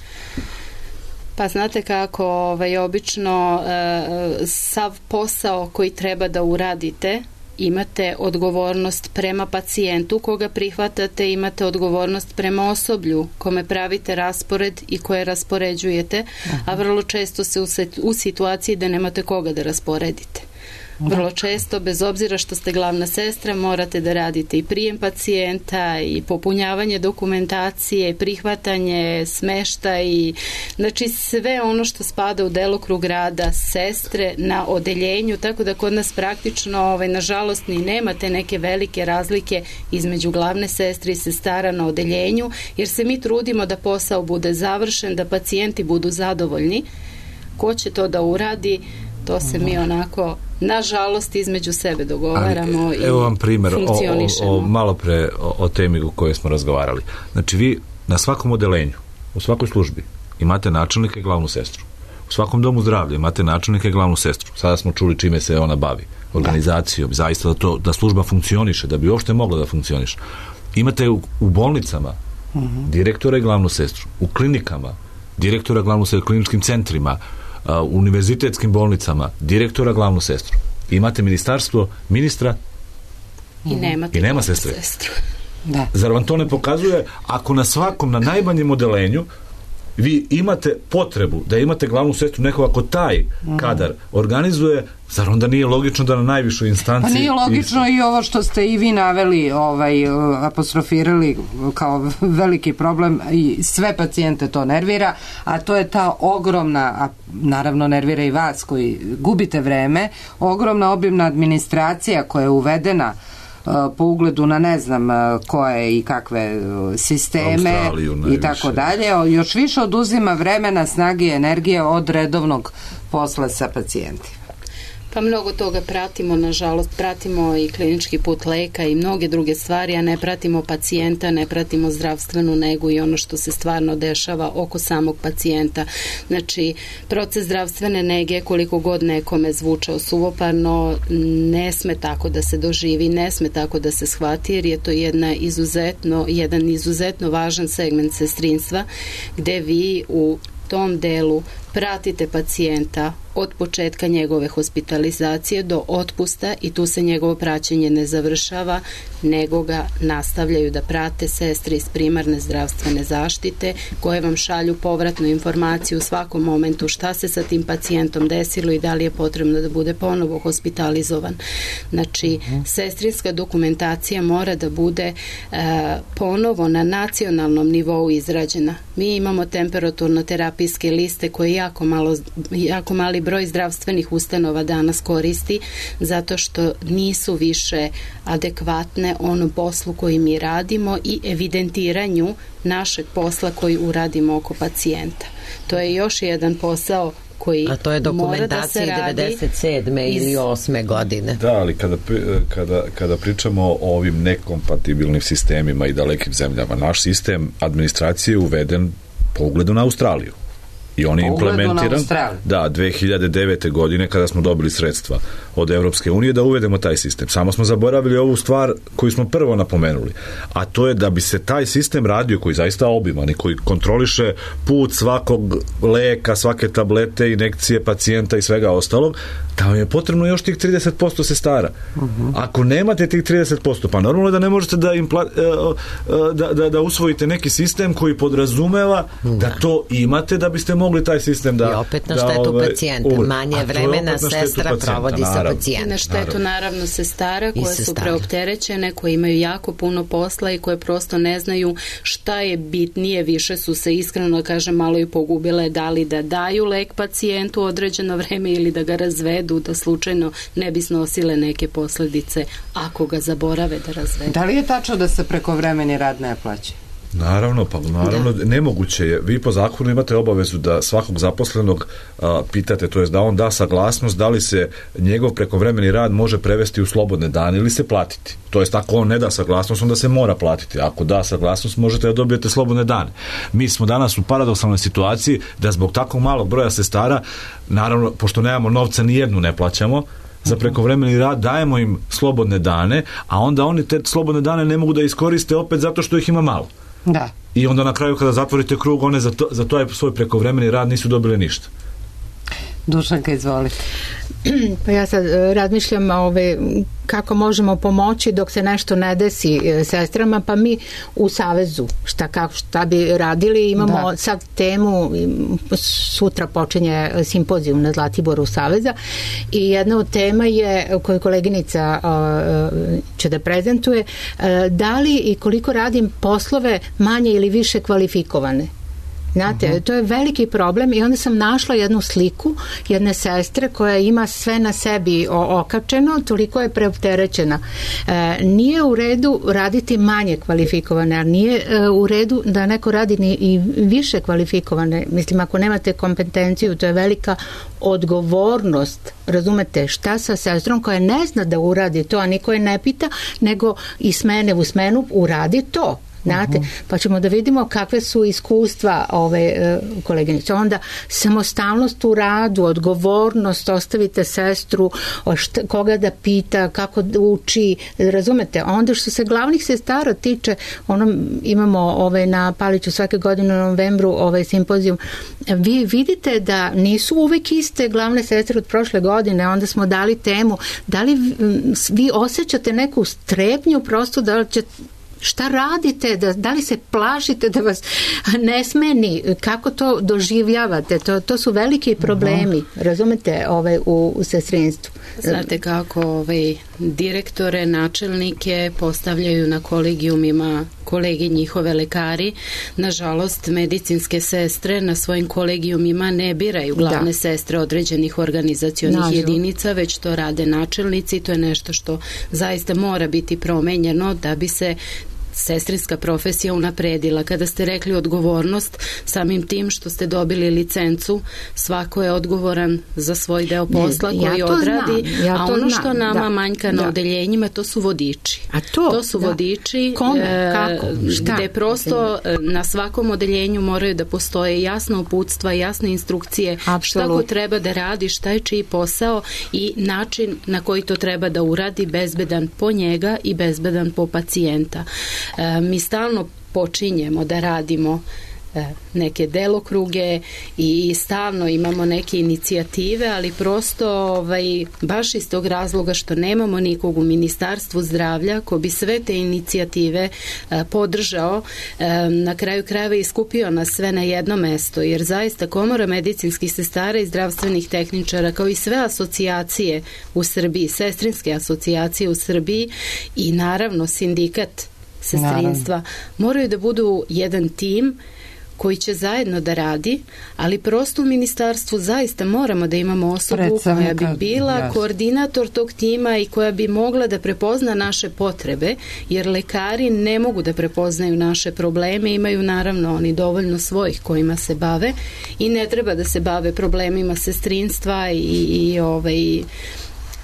Pa znate kako, ovaj, obično e, sav posao koji treba da uradite, imate odgovornost prema pacijentu koga prihvatate, imate odgovornost prema osoblju kome pravite raspored i koje raspoređujete, a vrlo često se u situaciji da nemate koga da rasporedite. Vrlo često, bez obzira što ste glavna sestra, morate da radite i prijem pacijenta i popunjavanje dokumentacije, i prihvatanje, smeštaj i znači sve ono što spada u delokrug rada sestre na odeljenju, tako da kod nas praktično ovaj, nažalost ni nemate neke velike razlike između glavne sestre i sestara na odeljenju, jer se mi trudimo da posao bude završen, da pacijenti budu zadovoljni. Ko će to da uradi, to se mi onako, nažalost, između sebe dogovaramo. Ali, i evo vam primjer o, o, o, malo pre o, o temi o kojoj smo razgovarali. Znači vi na svakom odelenju, u svakoj službi imate načelnika i glavnu sestru. U svakom domu zdravlja imate načelnika i glavnu sestru. Sada smo čuli čime se ona bavi. Organizacijom, zaista da, to, da služba funkcioniše, da bi uopšte mogla da funkcioniše. Imate u, u bolnicama uh-huh. direktora i glavnu sestru. U klinikama direktora, glavnu sestru, u kliničkim centrima, u univerzitetskim bolnicama direktora, glavnu sestru. Imate ministarstvo, ministra i, nemate i nema sestre. Sestru. Da. Zar vam to ne pokazuje ako na svakom, na najmanjem odelenju vi imate potrebu da imate glavnu sestru, neko ako taj kadar organizuje, zar onda nije logično da na najvišoj instanci... Pa nije logično i ovo što ste i vi naveli, ovaj, apostrofirali kao veliki problem i sve pacijente to nervira, a to je ta ogromna, a naravno nervira i vas koji gubite vreme, ogromna obimna administracija koja je uvedena po ugledu na ne znam koje i kakve sisteme i tako dalje, još više oduzima vremena, snage i energije od redovnog posla sa pacijentima. Pa mnogo toga pratimo, nažalost, pratimo i klinički put leka i mnoge druge stvari, a ne pratimo pacijenta, ne pratimo zdravstvenu negu i ono što se stvarno dešava oko samog pacijenta. Znači, proces zdravstvene nege, koliko god nekome zvučao suvoparno, ne sme tako da se doživi, ne sme tako da se shvati, jer je to jedna izuzetno, jedan izuzetno važan segment sestrinstva, gde vi u tom delu pratite pacijenta od početka njegove hospitalizacije do otpusta i tu se njegovo praćenje ne završava, nego ga nastavljaju da prate sestre iz primarne zdravstvene zaštite koje vam šalju povratnu informaciju u svakom momentu šta se sa tim pacijentom desilo i da li je potrebno da bude ponovo hospitalizovan. Znači, sestrinska dokumentacija mora da bude e, ponovo na nacionalnom nivou izrađena. Mi imamo temperaturno-terapijske liste koje jako, malo, jako mali broj zdravstvenih ustanova danas koristi zato što nisu više adekvatne onom poslu koji mi radimo i evidentiranju našeg posla koji uradimo oko pacijenta. To je još jedan posao koji a to je dokumentacija da devedeset sedme iz... ili osme godine. Da, ali kada, kada, kada pričamo o ovim nekompatibilnim sistemima i dalekim zemljama, naš sistem administracije je uveden po ugledu na Australiju. I on je implementiran da, dve hiljade devete godine kada smo dobili sredstva od Evropske unije da uvedemo taj sistem. Samo smo zaboravili ovu stvar koju smo prvo napomenuli, a to je da bi se taj sistem radio, koji zaista obiman i koji kontroliše put svakog leka, svake tablete, injekcije pacijenta i svega ostalog, da vam je potrebno još tih trideset posto sestara. Uh-huh. Ako nemate tih trideset posto, pa normalno je da ne možete da, impla, da, da, da usvojite neki sistem koji podrazumeva da, da to imate da biste mogli taj sistem da... I opet na štetu da, pacijenta. Uvijek. Manje vremena sestra pacijenta, provodi naravno. Sa pacijentom. I na štetu naravno, naravno sestara koje sestara. Su preopterećene, koje imaju jako puno posla i koje prosto ne znaju šta je bitnije, više su se iskreno, da kažem, malo i pogubile, da li da daju lek pacijentu određeno vreme ili da ga razvedu, da slučajno ne bi snosile neke posledice ako ga zaborave da razvedu. Da li je tačno da se prekovremeni rad ne plaća? Naravno, pa naravno, da. Nemoguće je. Vi po zakonu imate obavezu da svakog zaposlenog a, pitate, to jest da on da saglasnost da li se njegov prekovremeni rad može prevesti u slobodne dane ili se platiti. To jest ako on ne da saglasnost, onda se mora platiti. Ako da saglasnost, možete da dobijete slobodne dane. Mi smo danas u paradoksalnoj situaciji da zbog takvog malog broja sestara, naravno, pošto nemamo novca, ni jednu ne plaćamo, za prekovremeni rad, dajemo im slobodne dane, a onda oni te slobodne dane ne mogu da iskoriste opet zato što ih ima malo. Da. I onda na kraju kada zatvorite krug, one za, to, za to svoj prekovremeni rad nisu dobile ništa. Dušanka, izvolite. Pa ja sad razmišljam ove, kako možemo pomoći dok se nešto ne desi sestrama, pa mi u Savezu šta, kako, šta bi radili, imamo da. Sad temu, sutra počinje simpozijum na Zlatiboru Saveza i jedna od tema je koju koleginica uh, će da prezentuje, uh, da li i koliko radim poslove manje ili više kvalifikovane. Znate, uh-huh. to je veliki problem i onda sam našla jednu sliku jedne sestre koja ima sve na sebi okačeno, toliko je preopterećena. E, nije u redu raditi manje kvalifikovane, a nije e, u redu da neko radi ni i više kvalifikovane. Mislim, ako nemate kompetenciju, to je velika odgovornost. Razumete, šta sa sestrom koja ne zna da uradi to, a niko je ne pita, nego i smene u smenu uradi to. Znate, uh-huh. pa ćemo da vidimo kakve su iskustva ove uh, koleginice. Onda samostalnost u radu, odgovornost, ostavite sestru, šta, koga da pita, kako da uči, razumete? Onda što se glavnih sestara tiče, ono, imamo ovaj, na Paliću svake godine u novembru ovaj simpozijum, vi vidite da nisu uvek iste glavne sestre od prošle godine, onda smo dali temu, da li vi osjećate neku strepnju prosto da li će šta radite, da, da li se plašite da vas ne smeni, kako to doživljavate, to, to su veliki problemi, uh-huh. razumete, ovaj, u, u sestrinstvu. Znate kako ovaj, direktore, načelnike postavljaju na kolegijumima kolegi njihove lekari, nažalost medicinske sestre na svojim kolegijumima ne biraju glavne da. Sestre određenih organizacionih Nažal. Jedinica, već to rade načelnici, to je nešto što zaista mora biti promenjeno da bi se sestrinska profesija unapredila. Kada ste rekli odgovornost, samim tim što ste dobili licencu, svako je odgovoran za svoj deo posla ne, koji ja odradi, ja a ono što znam. Nama da. Manjka na da. Odeljenjima, to su vodiči. A to? To su da. Vodiči Kome? Kako? Šta? Gde prosto na svakom odeljenju moraju da postoje jasna uputstva, jasne instrukcije, Absolut. Šta ko treba da radi, šta je čiji posao i način na koji to treba da uradi, bezbedan po njega i bezbedan po pacijenta. E, mi stalno počinjemo da radimo e, neke delokruge i stalno imamo neke inicijative, ali prosto ovaj, baš iz tog razloga što nemamo nikog u Ministarstvu zdravlja ko bi sve te inicijative e, podržao, e, na kraju krajeva iskupio nas sve na jedno mesto, jer zaista Komora medicinskih sestara i zdravstvenih tehničara, kao i sve asocijacije u Srbiji, sestrinske asocijacije u Srbiji i naravno sindikat sestrinstva, moraju da budu jedan tim koji će zajedno da radi, ali prosto u ministarstvu zaista moramo da imamo osobu koja bi bila jasno. Koordinator tog tima i koja bi mogla da prepozna naše potrebe, jer lekari ne mogu da prepoznaju naše probleme, imaju naravno oni dovoljno svojih kojima se bave i ne treba da se bave problemima sestrinstva i, i ovaj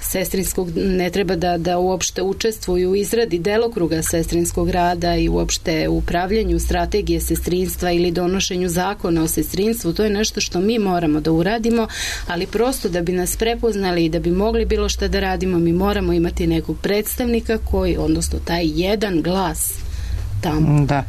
sestrinskog, ne treba da, da uopšte učestvuju u izradi delokruga sestrinskog rada i uopšte u upravljanju strategije sestrinstva ili donošenju zakona o sestrinstvu. To je nešto što mi moramo da uradimo, ali prosto da bi nas prepoznali i da bi mogli bilo šta da radimo, mi moramo imati nekog predstavnika koji, odnosno taj jedan glas tamo. Da.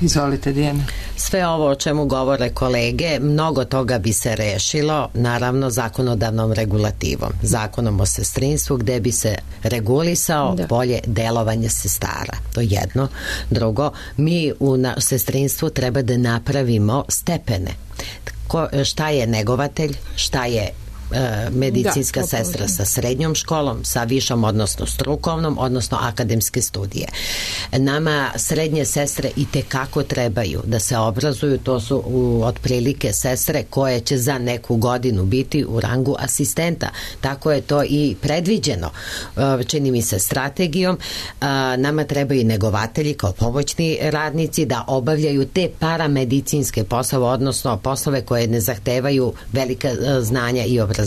Izvolite, Dijana. Sve ovo o čemu govore kolege, mnogo toga bi se rešilo, naravno, zakonodavnom regulativom, zakonom o sestrinstvu, gde bi se regulisao da. bolje delovanje sestara. To je jedno. Drugo, mi u na, sestrinstvu treba da napravimo stepene. Ko, šta je negovatelj, šta je medicinska da, sestra sa srednjom školom, sa višom, odnosno strukovnom, odnosno akademske studije. Nama srednje sestre i tekako trebaju da se obrazuju, to su u, otprilike sestre koje će za neku godinu biti u rangu asistenta. Tako je to i predviđeno, čini mi se, strategijom. Nama trebaju i negovatelji kao pomoćni radnici da obavljaju te paramedicinske poslove, odnosno poslove koje ne zahtevaju velika znanja i obrazovanja,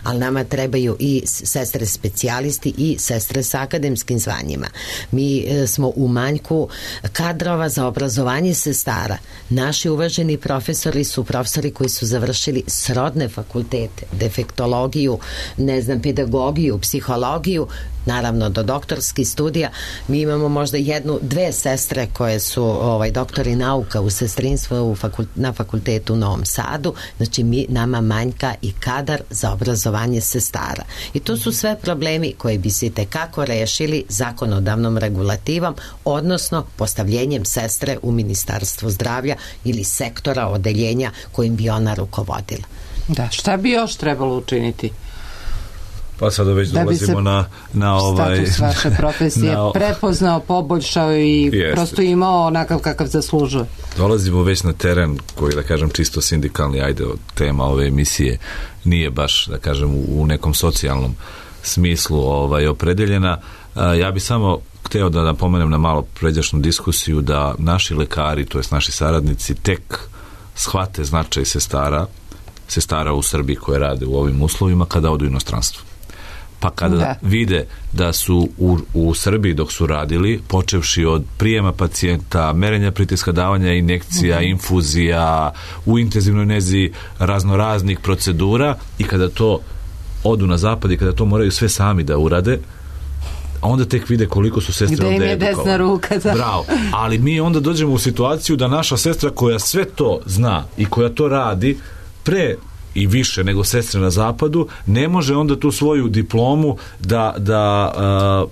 ali nama trebaju i sestre specijalisti i sestre sa akademskim zvanjima. Mi smo u manjku kadrova za obrazovanje sestara. Naši uvaženi profesori su profesori koji su završili srodne fakultete, defektologiju, ne znam, pedagogiju, psihologiju, naravno do doktorskih studija. Mi imamo možda jednu, dve sestre koje su ovaj, doktori nauka u sestrinstvu u fakult, na fakultetu u Novom Sadu. Znači mi, nama manjka i kadar za obrazovanje sestara. I to su sve problemi koji bi se tekako rešili zakonodavnom regulativom, odnosno postavljenjem sestre u Ministarstvu zdravlja ili sektora odeljenja kojim bi ona rukovodila. Da, šta bi još trebalo učiniti? Pa sada već da dolazimo na, na ovaj... status vaše profesije na, prepoznao, poboljšao i jest. prosto imao onakav kakav zaslužuje. Dolazimo već na teren koji, da kažem, čisto sindikalni, ajde, tema ove emisije nije baš, da kažem, u, u nekom socijalnom smislu ovaj, opredeljena. A, ja bi samo hteo da napomenem na malo pređašnju diskusiju da naši lekari, to jest naši saradnici, tek shvate značaj sestara, sestara u Srbiji koje rade u ovim uslovima kada odu u inostranstvo. Pa kada da. vide da su u, u Srbiji dok su radili, počevši od prijema pacijenta, merenja pritiska, davanja injekcija, mm-hmm. infuzija, u intenzivnoj nezi raznoraznih procedura, i kada to odu na zapad i kada to moraju sve sami da urade, onda tek vide koliko su sestre ovde edukovane. Gde im je desna ruka. Da. Bravo. Ali mi onda dođemo u situaciju da naša sestra koja sve to zna i koja to radi pre i više nego sestre na zapadu, ne može onda tu svoju diplomu da, da uh,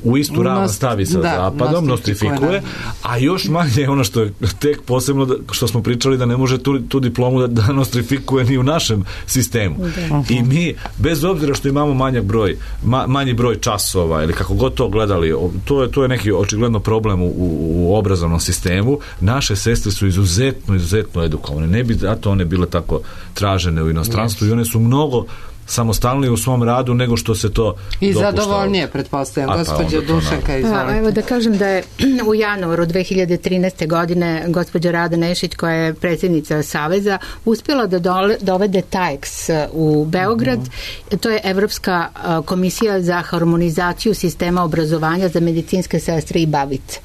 u istu ravan stavi sa da, zapadom, nostrifikuje, a još manje ono što je tek posebno da, što smo pričali, da ne može tu, tu diplomu da, da nostrifikuje ni u našem sistemu. Da. I mi, bez obzira što imamo manjak broj, ma, manji broj časova ili kako god to gledali, to je, to je neki očigledno problem u, u obrazovnom sistemu. Naše sestre su izuzetno, izuzetno edukovane. Ne bi zato one bile tako tražene u inostranstvu, yes. i one su mnogo samostalnije u svom radu nego što se to i dopuštava. Zadovoljnije, pretpostavljam. Gospođa Dušanka, izvolite. Pa, evo da kažem da je u januaru dve hiljade trinaeste. godine gospođa Rada Nešić, koja je predsjednica Saveza, uspjela da dole, dovede T A E X u Beograd. Mm-hmm. To je Evropska komisija za harmonizaciju sistema obrazovanja za medicinske sestre i babice.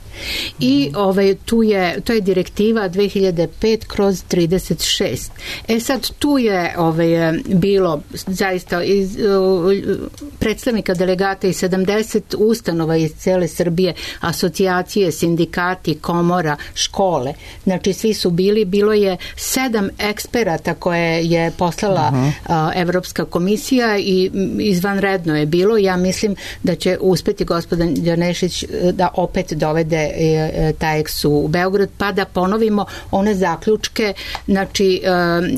I ovaj, tu je, to je direktiva dve hiljade pet kroz trideset šest. E sad tu je ovaj, bilo zaista iz, predstavnika delegata i sedamdeset ustanova iz cele Srbije, asocijacije, sindikati, komora, škole. Znači svi su bili, bilo je sedam eksperata koje je poslala uh-huh. a, Evropska komisija i izvanredno je bilo. Ja mislim da će uspeti gospođa Nešić da opet dovede T A E X u Beograd, pa da ponovimo one zaključke. Znači,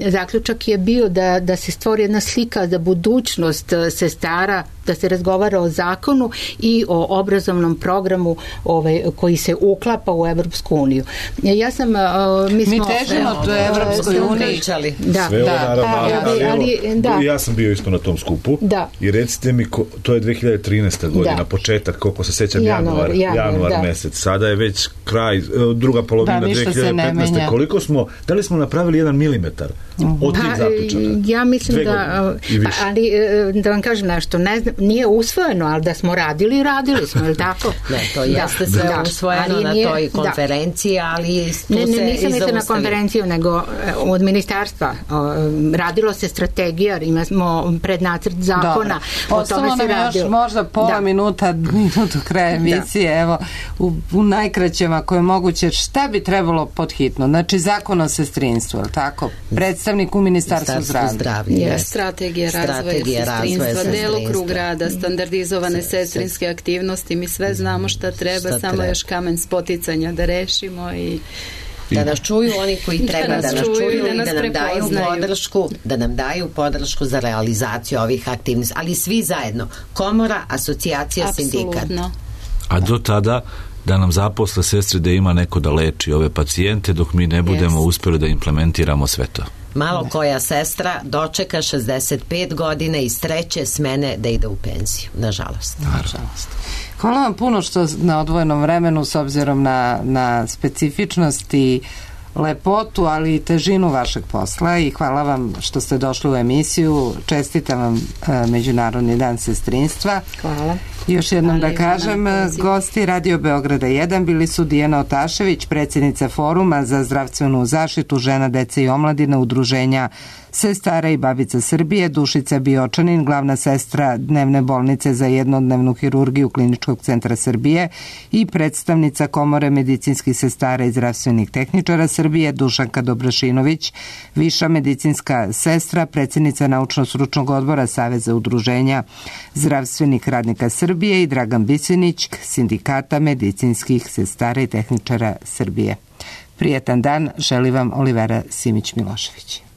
zaključak je bio da, da se stvori jedna slika za budućnost sestara, da se razgovara o zakonu i o obrazovnom programu ovaj, koji se uklapa u Evropsku uniju. Ja sam, mi smo... Mi težimo to Evropskoj uniji. Da, sve da, naravno, ali, ali, ali da. Ja sam bio isto na tom skupu da. I recite mi, ko, to je dve hiljade trinaesta. godina, da. početak, koliko se sećam, januar, januar, januar, januar da. mesec. sada je već kraj, druga polovina da, dve hiljade petnaeste. Koliko smo, da li smo napravili jedan milimetar od tih zaključaka? Ja mislim Dve da, godine, ali da vam kažem nešto, ne znam, nije usvojeno, ali da smo radili, radili smo, je li tako? Ne, to jeste sve da, usvojeno na nije, toj konferenciji, da. ali tu ne, ne, se nisam mislila na konferenciju, nego od ministarstva. Radilo se strategija, imamo prednacrt zakona, o tome se radilo. Još možda pola da. minuta, minutu kraja emisije, da. evo, u, u najkraćem ako je moguće, šta bi trebalo pod hitno? Znači, zakon o sestrinstvu, je li tako? Predstavnik u Ministarstvu zdravlja. zdravlja. Strategija razvoja sestrinstva, delokrug rada, standardizovane sestrinske aktivnosti, mi sve znamo šta treba, šta samo treba. Još kamen spoticanja da rešimo i da nas čuju oni koji treba da nas, da nas čuju i da, da nam daju podršku, da nam daju podršku za realizaciju ovih aktivnosti, ali svi zajedno, komora, asocijacija, apsolutno. Sindikat. A do tada da nam zaposle sestre da ima neko da leči ove pacijente dok mi ne budemo yes. uspeli da implementiramo sve to. Malo koja sestra dočeka šezdeset pet godina iz treće smene da ide u penziju, nažalost. Nažalost. Hvala vam puno što na odvojenom vremenu s obzirom na, na specifičnost i lepotu, ali i težinu vašeg posla i hvala vam što ste došli u emisiju. Čestitam vam e, Međunarodni dan sestrinstva. Hvala. Još jednom da kažem, gosti Radio Beograda jedan bili su Dijana Otašević, predsjednica Foruma za zdravstvenu zaštitu žena, dece i omladine Udruženja Sestara i babica Srbije, Dušica Biočanin, glavna sestra dnevne bolnice za jednodnevnu hirurgiju Kliničkog centra Srbije i predstavnica Komore medicinskih sestara i zdravstvenih tehničara Srbije, Dušanka Dobrašinović, viša medicinska sestra, predsjednica naučno-stručnog odbora Saveza udruženja zdravstvenih radnika Srbije i Dragan Bisinić, sindikata medicinskih sestara i tehničara Srbije. Prijetan dan, želi vam Olivera Simić-Milošević.